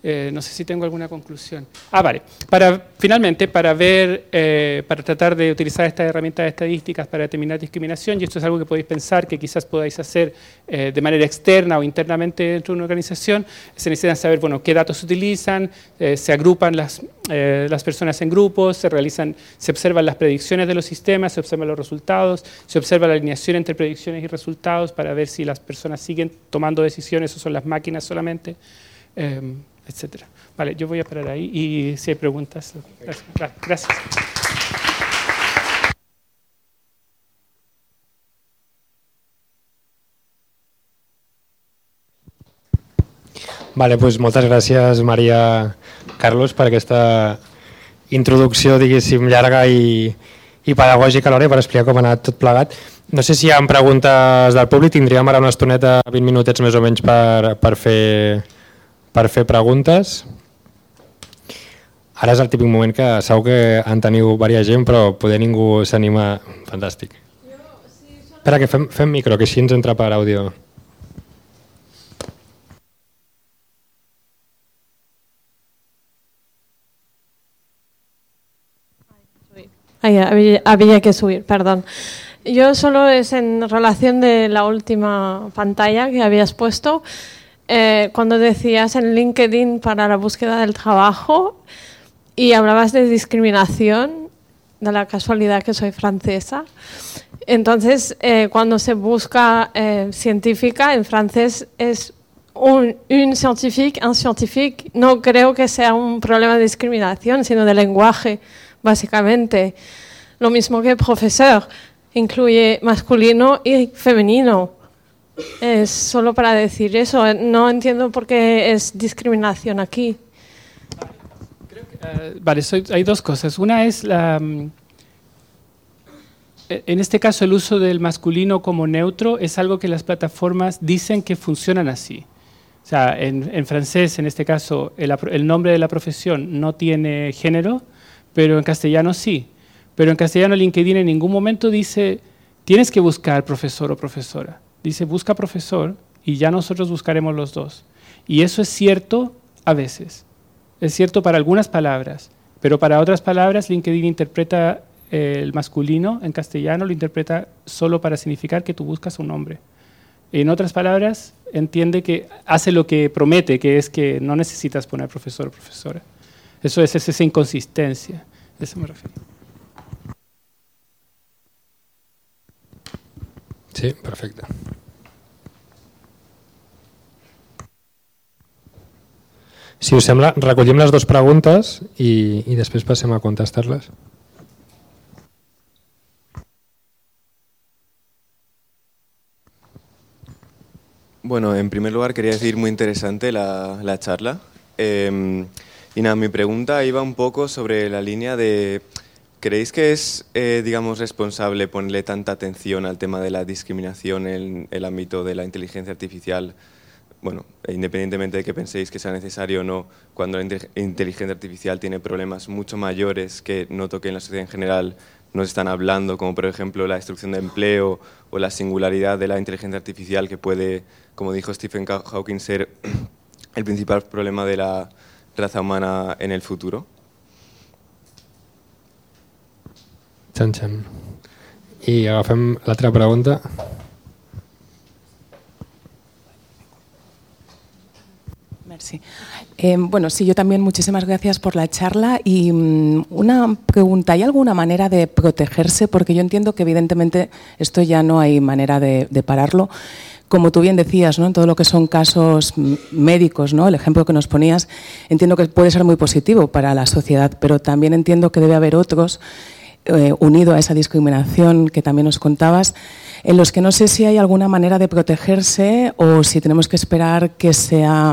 Eh, no sé si tengo alguna conclusión. Ah, vale. Para, finalmente, para ver, eh, para tratar de utilizar estas herramientas estadísticas para determinar discriminación, y esto es algo que podéis pensar que quizás podáis hacer eh, de manera externa o internamente dentro de una organización, se necesita saber, bueno, qué datos se utilizan, eh, se agrupan las, eh, las personas en grupos, se realizan, se observan las predicciones de los sistemas, se observan los resultados, se observa la alineación entre predicciones y resultados para ver si las personas siguen tomando decisiones o son las máquinas solamente. Eh, etcétera. Vale, yo voy a parar ahí y si hay preguntas. Gracias. Gracias. Vale, doncs moltes gràcies, Maria Carlos, per aquesta introducció, diguéssim, llarga i, i pedagògica alhora, per explicar com ha anat tot plegat. No sé si hi ha preguntes del públic, tindríem ara una estoneta, vint minutets més o menys, per, per, fer, per fer preguntes. Ara és el típic moment que segur que en teniu diversa gent, però poder ningú s'anima. Fantàstic. Espera, que fem, fem micro, que així ens entra per àudio. Ay, había, había que subir, perdón. Yo solo es en relación de la última pantalla que habías puesto, eh, cuando decías en LinkedIn para la búsqueda del trabajo y hablabas de discriminación, de la casualidad que soy francesa. Entonces, eh, cuando se busca eh, científica, en francés es un, un scientifique, un scientifique. No creo que sea un problema de discriminación, sino de lenguaje, básicamente. Lo mismo que profesor, incluye masculino y femenino. Es solo para decir eso. No entiendo por qué es discriminación aquí. Uh, vale, soy, hay dos cosas. Una es, la, um, en este caso, el uso del masculino como neutro es algo que las plataformas dicen que funcionan así. O sea, en, en francés, en este caso, el, el nombre de la profesión no tiene género, pero en castellano sí. Pero en castellano LinkedIn en ningún momento dice, tienes que buscar profesor o profesora. Dice, busca profesor y ya nosotros buscaremos los dos. Y eso es cierto a veces. Es cierto para algunas palabras, pero para otras palabras LinkedIn interpreta eh, el masculino en castellano, lo interpreta solo para significar que tú buscas un hombre. En otras palabras, entiende que hace lo que promete, que es que no necesitas poner profesor o profesora. Eso es, es esa inconsistencia, a eso me refiero. Sí, perfecte. Si us sembla, recollim les dues preguntes i, y després passem a contestar-les. Bueno, en primer lugar quería decir muy interesante la, la charla. Eh, y nada, mi pregunta iba un poco sobre la línea de... ¿Creéis que es, eh, digamos, responsable ponerle tanta atención al tema de la discriminación en el ámbito de la inteligencia artificial? Bueno, independientemente de que penséis que sea necesario o no, cuando la inteligencia artificial tiene problemas mucho mayores que noto que en la sociedad en general nos están hablando, como por ejemplo la destrucción de empleo o la singularidad de la inteligencia artificial que puede, como dijo Stephen Hawking, ser el principal problema de la raza humana en el futuro? Xan, xan. I agafem l'altra pregunta. Merci. Eh, bueno, sí, yo también muchísimas gracias por la charla y um, una pregunta, ¿hay alguna manera de protegerse? Porque yo entiendo que evidentemente esto ya no hay manera de, de pararlo. Como tú bien decías, ¿no? En todo lo que son casos médicos, ¿no? El ejemplo que nos ponías, entiendo que puede ser muy positivo para la sociedad, pero también entiendo que debe haber otros eh, unido a esa discriminación que también nos contabas, en los que no sé si hay alguna manera de protegerse o si tenemos que esperar que sea,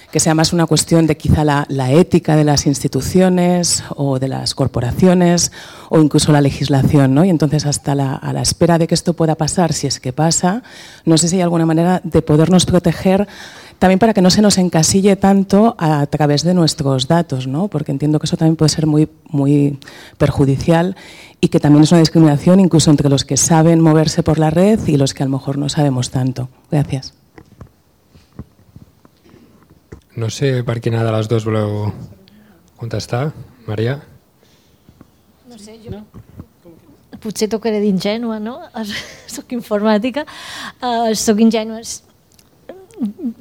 que sea más una cuestión de quizá la, la ética de las instituciones o de las corporaciones o incluso la legislación, ¿no? Y entonces hasta la, a la espera de que esto pueda pasar, si es que pasa, no sé si hay alguna manera de podernos proteger también para que no se nos encasille tanto a través de nuestros datos, ¿no? Porque entiendo que eso también puede ser muy, muy perjudicial y que también es una discriminación incluso entre los que saben moverse por la red y los que a lo mejor no sabemos tanto. Gracias. No sé per quina de les dues voleu contestar. Maria? No sé, jo... No? Potser tocaré d'ingènua, no? Soc informàtica, uh, soc ingènua.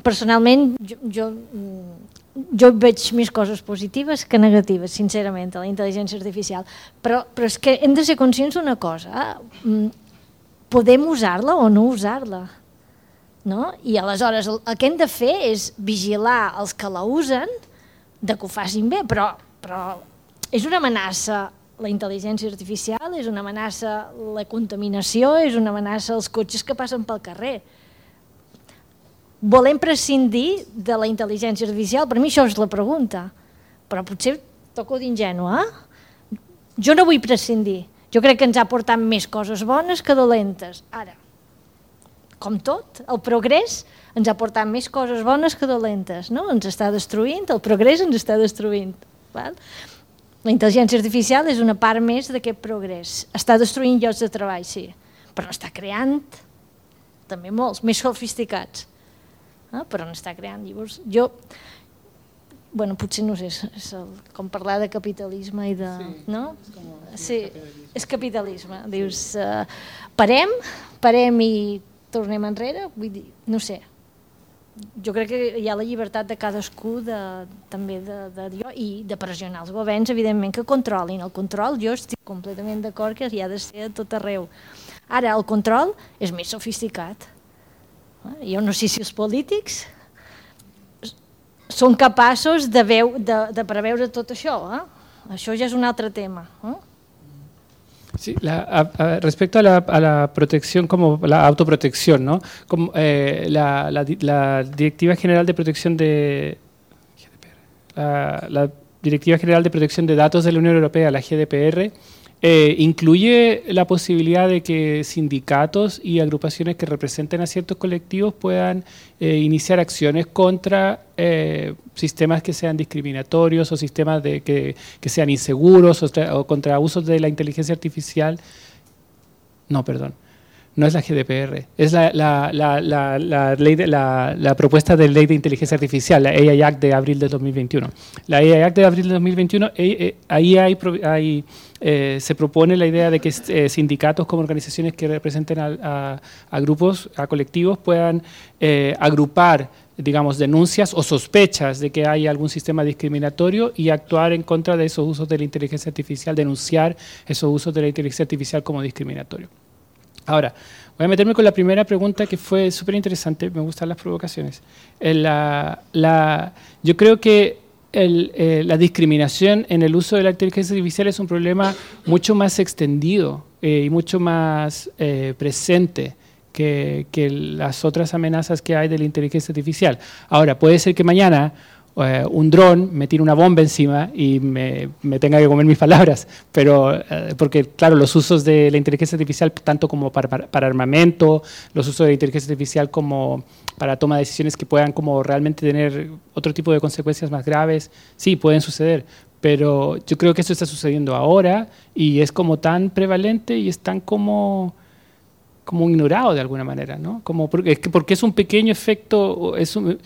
Personalment, jo, jo, jo veig més coses positives que negatives, sincerament, a la intel·ligència artificial. Però, però és que hem de ser conscients d'una cosa. Podem usar-la o no usar-la. No? I aleshores el, el que hem de fer és vigilar els que la usen de que ho facin bé, però, però és una amenaça la intel·ligència artificial, és una amenaça la contaminació, és una amenaça els cotxes que passen pel carrer. volem prescindir de la intel·ligència artificial? Per mi això és la pregunta, però potser toco d'ingènua. Eh? Jo no vull prescindir. Jo crec que ens ha portat més coses bones que dolentes. Ara, com tot, el progrés ens ha portat més coses bones que dolentes. No? Ens està destruint, el progrés ens està destruint. Val? La intel·ligència artificial és una part més d'aquest progrés. Està destruint llocs de treball, sí, però n'està creant també molts, més sofisticats. Eh? Però n'està creant. Llavors, jo, bueno, potser no sé, és el, com parlar de capitalisme i de... Sí, no? Sí, és capitalisme. Dius, uh, parem, parem i tornem enrere, vull dir, no sé. Jo crec que hi ha la llibertat de cadascú de, també de, de, de, i de pressionar els governs, evidentment, que controlin. El control, jo estic completament d'acord que hi ha de ser a tot arreu. Ara, el control és més sofisticat. Jo no sé si els polítics són capaços de, veu, de, de preveure tot això. Eh? Això ja és un altre tema. Eh? Sí, la, a, a, respecto a la, a la protección, como la autoprotección, ¿no? Como, eh, la, la, la Directiva General de Protección de la, la Directiva General de Protección de Datos de la Unión Europea, la G D P R, eh, incluye la posibilidad de que sindicatos y agrupaciones que representen a ciertos colectivos puedan eh, iniciar acciones contra eh, sistemas que sean discriminatorios o sistemas de, que, que sean inseguros o, o contra abusos de la inteligencia artificial. No, perdón. No es la G D P R, es la, la, la, la, la, ley de, la, la propuesta de ley de inteligencia artificial, la A I Act de abril de dos mil veintiuno. La A I Act de abril de dos mil veintiuno, eh, eh, ahí hay, hay, eh, se propone la idea de que eh, sindicatos como organizaciones que representen a, a, a grupos, a colectivos, puedan eh, agrupar, digamos, denuncias o sospechas de que hay algún sistema discriminatorio y actuar en contra de esos usos de la inteligencia artificial, denunciar esos usos de la inteligencia artificial como discriminatorio. Ahora, voy a meterme con la primera pregunta que fue súper interesante, me gustan las provocaciones. La, la, yo creo que el, eh, la discriminación en el uso de la inteligencia artificial es un problema mucho más extendido eh, y mucho más eh, presente que, que las otras amenazas que hay de la inteligencia artificial. Ahora, puede ser que mañana Uh, un dron me tire una bomba encima y me, me tenga que comer mis palabras, pero uh, porque claro, los usos de la inteligencia artificial tanto como para, para, para armamento, los usos de la inteligencia artificial como para toma de decisiones que puedan como realmente tener otro tipo de consecuencias más graves, sí, pueden suceder, pero yo creo que eso está sucediendo ahora y es como tan prevalente y es tan como... como ignorado de alguna manera, ¿no? Como porque, porque es un pequeño efecto, es un,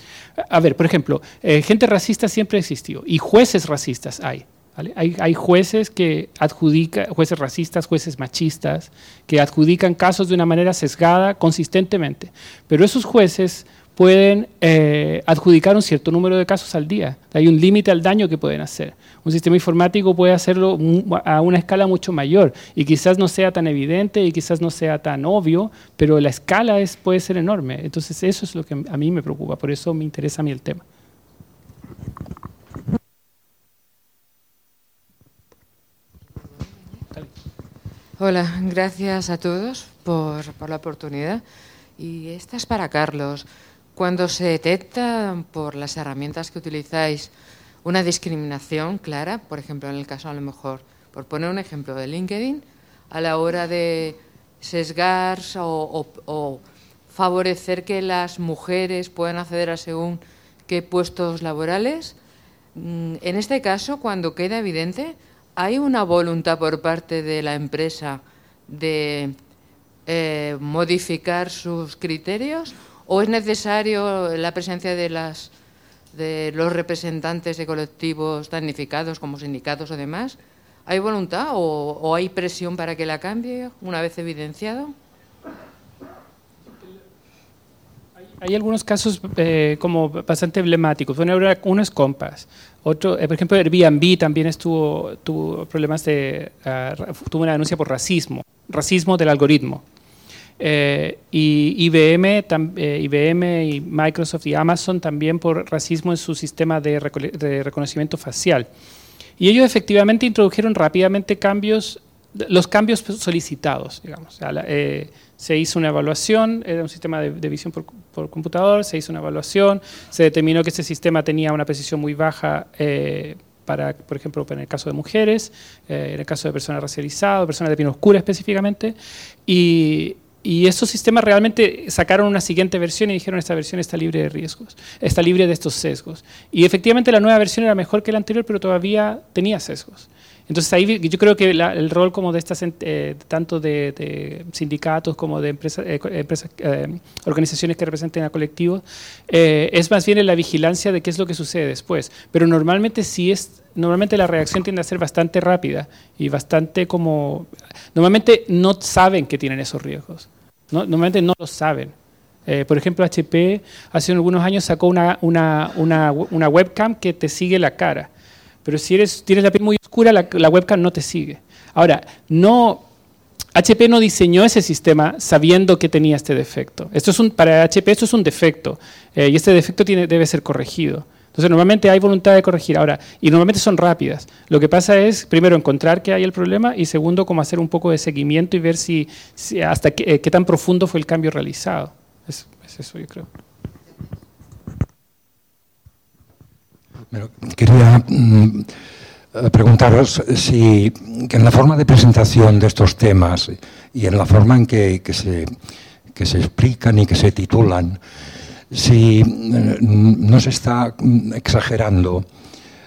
a ver, por ejemplo, eh, gente racista siempre ha existido y jueces racistas hay, ¿vale? Hay, hay jueces que adjudican, jueces racistas, jueces machistas, que adjudican casos de una manera sesgada consistentemente, pero esos jueces pueden eh, adjudicar un cierto número de casos al día. Hay un límite al daño que pueden hacer. Un sistema informático puede hacerlo a una escala mucho mayor y quizás no sea tan evidente y quizás no sea tan obvio, pero la escala es, puede ser enorme. Entonces eso es lo que a mí me preocupa, por eso me interesa a mí el tema. Hola, gracias a todos por, por la oportunidad. Y esta es para Carlos. Cuando se detecta por las herramientas que utilizáis una discriminación clara, por ejemplo, en el caso a lo mejor, por poner un ejemplo de LinkedIn, a la hora de sesgar o, o, o favorecer que las mujeres puedan acceder a según qué puestos laborales, en este caso, cuando queda evidente, ¿hay una voluntad por parte de la empresa de eh, modificar sus criterios? ¿O es necesario la presencia de, las, de los representantes de colectivos damnificados como sindicatos o demás? ¿Hay voluntad o, o hay presión para que la cambie una vez evidenciado? Hay algunos casos eh, como bastante emblemáticos. Bueno, uno es Compass. Otro, eh, por ejemplo, Airbnb también estuvo, tuvo problemas de, uh, tuvo una denuncia por racismo, racismo del algoritmo. Eh, y I B M, tam, eh, I B M y Microsoft y Amazon también por racismo en su sistema de, reco de reconocimiento facial. Y ellos efectivamente introdujeron rápidamente cambios los cambios solicitados, digamos. O sea, la, eh, se hizo una evaluación, era un sistema de, de visión por, por computador, se hizo una evaluación, se determinó que ese sistema tenía una precisión muy baja eh, para, por ejemplo, en el caso de mujeres, eh, en el caso de personas racializadas, personas de piel oscura específicamente, y, y esos sistemas realmente sacaron una siguiente versión y dijeron esta versión está libre de riesgos, está libre de estos sesgos. Y efectivamente la nueva versión era mejor que la anterior, pero todavía tenía sesgos. Entonces ahí yo creo que la, el rol como de estas, eh, tanto de, de sindicatos como de empresas, eh, empresas eh, organizaciones que representen a colectivos, eh, es más bien en la vigilancia de qué es lo que sucede después. Pero normalmente sí es, normalmente la reacción tiende a ser bastante rápida y bastante como, normalmente no saben que tienen esos riesgos, ¿no? Normalmente no lo saben. Eh, por ejemplo, H P hace algunos años sacó una, una, una, una webcam que te sigue la cara. Pero si eres, tienes la piel muy oscura, la, la webcam no te sigue. Ahora, no, H P no diseñó ese sistema sabiendo que tenía este defecto. Esto es un, para H P esto es un defecto, eh, y este defecto tiene, debe ser corregido. Entonces, normalmente hay voluntad de corregir. Ahora, y normalmente son rápidas. Lo que pasa es, primero, encontrar que hay el problema y segundo, como hacer un poco de seguimiento y ver si, si hasta qué, eh, qué tan profundo fue el cambio realizado. Es, es eso, yo creo. Pero quería mm, preguntaros si en la forma de presentación de estos temas y en la forma en que, que, se, que se explican y que se titulan, si eh, no se está exagerando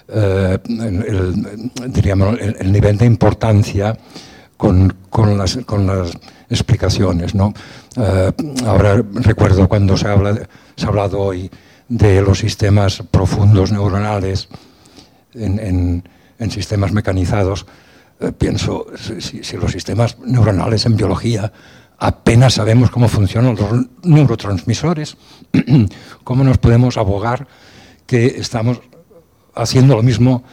eh, el, el, diríamos, el, el nivel de importancia con, con, las, con las explicaciones, ¿no? Eh, ahora recuerdo cuando se, habla, se ha hablado hoy de los sistemas profundos neuronales en, en, en sistemas mecanizados, eh, pienso, si, si los sistemas neuronales en biología apenas sabemos cómo funcionan los neurotransmisores, ¿cómo nos podemos abogar que estamos haciendo lo mismo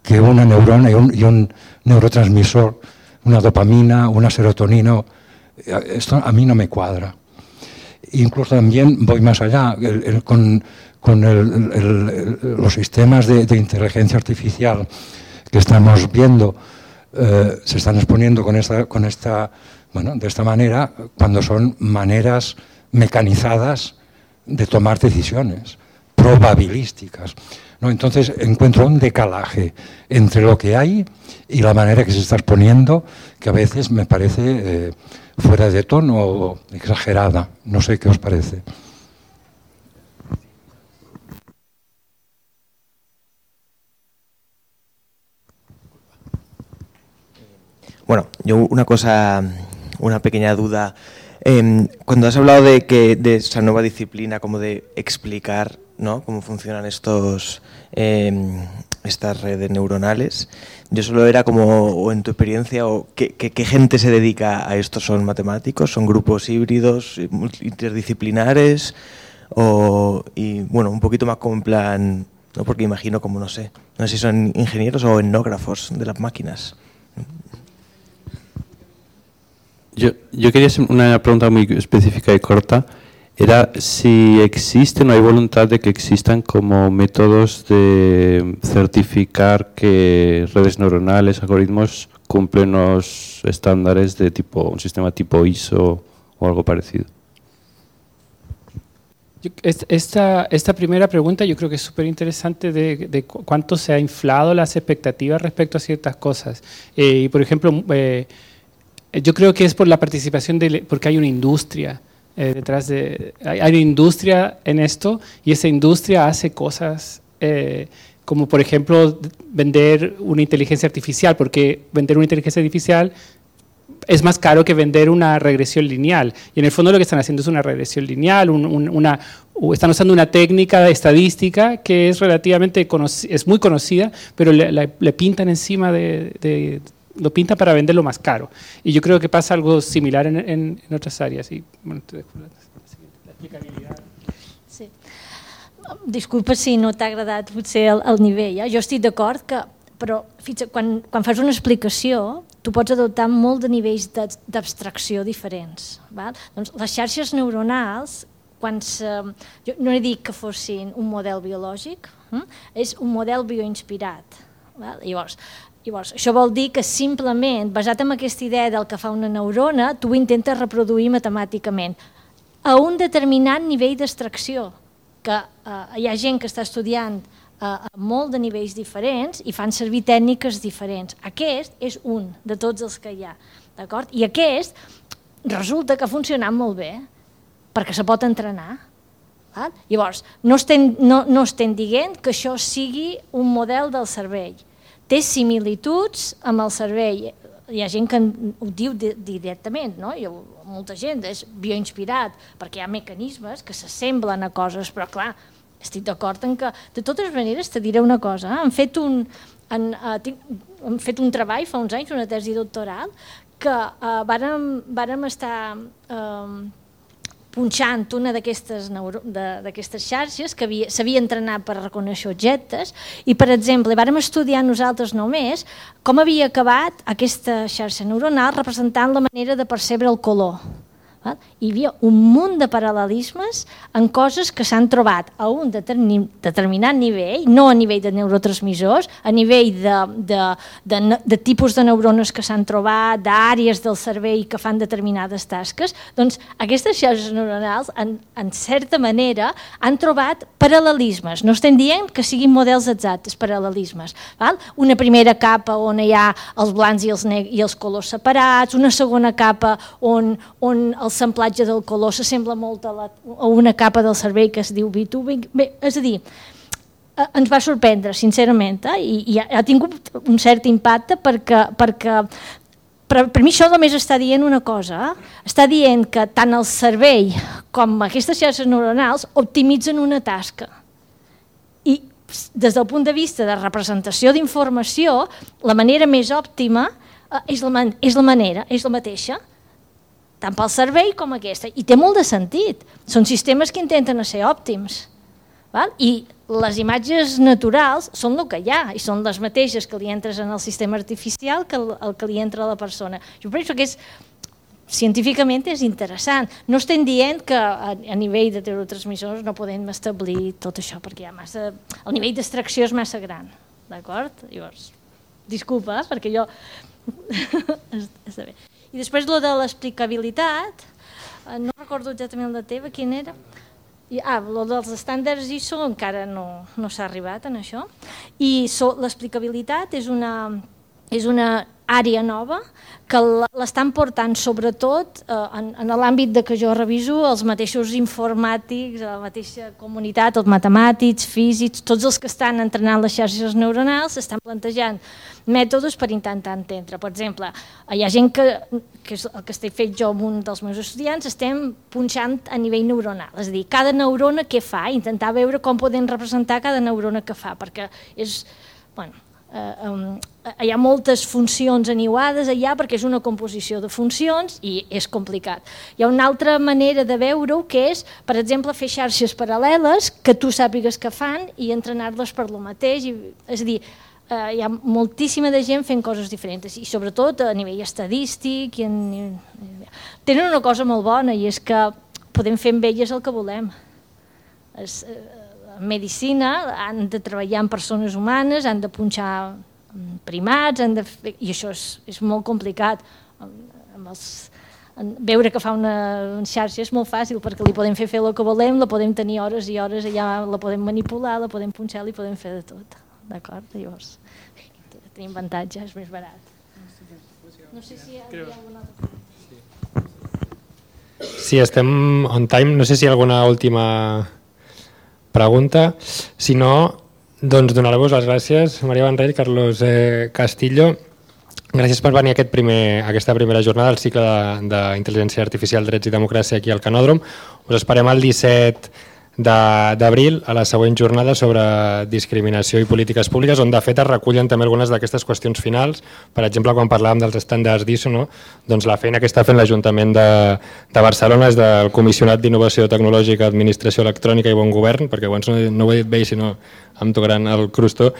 que una neurona y un, y un neurotransmisor, una dopamina, una serotonina? Esto a mí no me cuadra. Incluso también voy más allá, el, el, con, con el, el, el, los sistemas de, de inteligencia artificial que estamos viendo, eh, se están exponiendo con esta, con esta, bueno, de esta manera, cuando son maneras mecanizadas de tomar decisiones, probabilísticas, ¿no? Entonces encuentro un decalaje entre lo que hay y la manera que se está exponiendo, que a veces me parece eh, fuera de tono o exagerada. No sé qué os parece. Bueno, yo una cosa, una pequeña duda. Eh, cuando has hablado de que de esa nueva disciplina, como de explicar, ¿no?, cómo funcionan estos eh, estas redes neuronales, yo solo era como, o en tu experiencia, o ¿qué, qué, qué gente se dedica a esto? ¿Son matemáticos? ¿Son grupos híbridos, interdisciplinares? O, y bueno, un poquito más como en plan, ¿no?, porque imagino como, no sé, no sé si son ingenieros o etnógrafos de las máquinas. Yo, yo quería hacer una pregunta muy específica y corta. Era si existe, no hay voluntad de que existan como métodos de certificar que redes neuronales, algoritmos, cumplen los estándares de tipo, un sistema tipo I S O o algo parecido. Esta, esta primera pregunta yo creo que es súper interesante de, de cuánto se ha inflado las expectativas respecto a ciertas cosas. Eh, y por ejemplo, eh, yo creo que es por la participación, de, porque hay una industria eh, detrás de, hay, hay una industria en esto y esa industria hace cosas eh, como por ejemplo vender una inteligencia artificial, porque vender una inteligencia artificial es más caro que vender una regresión lineal. Y en el fondo lo que están haciendo es una regresión lineal, un, un, una, están usando una técnica estadística que es relativamente es muy conocida, pero le, le, le pintan encima de, de lo pinta para venderlo más caro. Y yo creo que pasa algo similar en, en, en otras áreas. I, bueno, te dejo la, la explicabilitat. Sí. Disculpa si no t'ha agradat potser el, el nivell. Eh? Jo estic d'acord que, però fixa, quan, quan fas una explicació, tu pots adoptar molt de nivells d'abstracció diferents. Val? Doncs les xarxes neuronals, quan se, jo no he dit que fossin un model biològic, hm? És un model bioinspirat. Val? Llavors, Llavors, això vol dir que simplement, basat en aquesta idea del que fa una neurona, tu ho intentes reproduir matemàticament a un determinat nivell d'extracció, que eh, hi ha gent que està estudiant eh, a molt de nivells diferents i fan servir tècniques diferents. Aquest és un de tots els que hi ha, d'acord? I aquest resulta que ha funcionat molt bé, perquè se pot entrenar. Val? Llavors, no estem, no, no estem dient que això sigui un model del cervell. Té similituds amb el cervell. Hi ha gent que ho diu directament, no? Jo, molta gent és bioinspirat, perquè hi ha mecanismes que s'assemblen a coses, però clar, estic d'acord en que, de totes maneres, te diré una cosa, eh? han, fet un, han, uh, tinc, han fet un treball fa uns anys, una tesi doctoral, que uh, vàrem, vàrem estar uh, punxant una d'aquestes xarxes que s'havia entrenat per reconèixer objectes i, per exemple, vàrem estudiar nosaltres només com havia acabat aquesta xarxa neuronal representant la manera de percebre el color. Hi havia un munt de paral·lelismes en coses que s'han trobat a un determinat nivell, no a nivell de neurotransmissors, a nivell de, de, de, de tipus de neurones que s'han trobat, d'àrees del cervell que fan determinades tasques. Doncs aquestes xarxes neuronals, en, en certa manera, han trobat paral·lelismes. No estem dient que siguin models exactes, paral·lelismes. Val? Una primera capa on hi ha els blancs i els, i els colors separats, una segona capa on, on el l'ensamblatge del color s'assembla molt a, la, a una capa del cervell que es diu B dos. Bé, és a dir, ens va sorprendre, sincerament, eh? I, i ha tingut un cert impacte perquè, perquè per, per mi això només està dient una cosa, eh? Està dient que tant el cervell com aquestes xarxes neuronals optimitzen una tasca. I des del punt de vista de representació d'informació, la manera més òptima eh, és, la, és la manera, és la mateixa, tant pel cervell com aquesta, i té molt de sentit. Són sistemes que intenten ser òptims. Val? I les imatges naturals són el que hi ha, i són les mateixes que li entres en el sistema artificial que el, el que li entra a la persona. Jo penso que és, científicament és interessant. No estem dient que a, a nivell de neurotransmissors no podem establir tot això, perquè hi ha massa, el nivell d'extracció és massa gran. D'acord? Llavors, disculpa, perquè jo... Està bé. I després, lo de l'explicabilitat, no recordo exactament la teva, quin era? Ah, lo dels estàndards I S O encara no, no s'ha arribat en això. I so, l'explicabilitat és una, és una àrea nova que l'estan portant sobretot eh, en, en l'àmbit de que jo reviso els mateixos informàtics, la mateixa comunitat, els matemàtics, físics, tots els que estan entrenant les xarxes neuronals estan plantejant mètodes per intentar entendre. Per exemple, hi ha gent que, que és el que estic fet jo amb un dels meus estudiants, estem punxant a nivell neuronal, és a dir, cada neurona què fa, intentar veure com podem representar cada neurona que fa, perquè és, bueno, eh, um, hi ha moltes funcions aniuades allà perquè és una composició de funcions i és complicat. Hi ha una altra manera de veure-ho que és, per exemple, fer xarxes paral·leles que tu sàpigues que fan i entrenar-les per lo mateix, i, és a dir, Uh, hi ha moltíssima de gent fent coses diferents i sobretot a nivell estadístic i en... tenen una cosa molt bona i és que podem fer amb elles el que volem. Es, uh, en medicina han de treballar amb persones humanes, han de punxar primats, han de fer... i això és, és molt complicat. Amb els... veure que fa una xarxa és molt fàcil perquè li podem fer fer el que volem, la podem tenir hores i hores allà, la podem manipular, la podem punxar, li podem fer de tot. D'acord? Llavors, tenim avantatge, és més barat. No sé si hi ha alguna altra cosa. Sí, estem on time. No sé si hi ha alguna última pregunta. Si no, doncs donar-vos les gràcies, Maria Vendrell, Carlos eh, Castillo. Gràcies per venir a aquest primer, a aquesta primera jornada del cicle d'Intel·ligència Artificial, Drets i Democràcia aquí al Canòdrom. Us esperem el disset d'abril a la següent jornada sobre discriminació i polítiques públiques, on de fet es recullen també algunes d'aquestes qüestions finals. Per exemple, quan parlàvem dels estàndards d'I S O, no? Doncs la feina que està fent l'Ajuntament de, de Barcelona és del Comissionat d'Innovació Tecnològica, Administració Electrònica i Bon Govern, perquè abans no, no ho he dit bé, sinó em tocaran el crustó,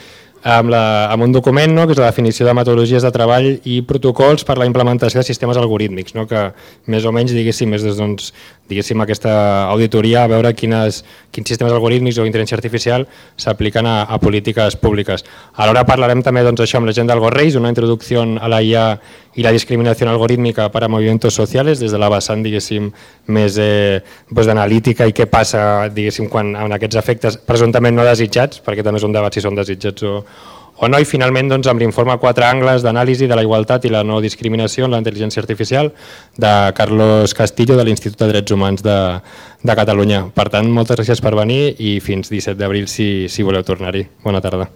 amb, la, amb un document, no?, que és la definició de metodologies de treball i protocols per la implementació de sistemes algorítmics, no?, que més o menys, diguéssim, és doncs, diguéssim, aquesta auditoria a veure quines, quins sistemes algorítmics o intel·ligència artificial s'apliquen a, a polítiques públiques. Alhora parlarem també doncs, això amb la gent del GORREIS, una introducció a la I A i la discriminació algorítmica per a movimientos socials, des de la vessant, diguéssim, més eh, doncs, d'analítica i què passa, diguéssim, quan en aquests efectes presumptament no desitjats, perquè també és un debat si són desitjats o, o no, i finalment doncs, amb l'informe Quatre angles d'anàlisi de la igualtat i la no discriminació en la intel·ligència artificial de Carlos Castillo de l'Institut de Drets Humans de, de Catalunya. Per tant, moltes gràcies per venir i fins disset d'abril si, si voleu tornar-hi. Bona tarda.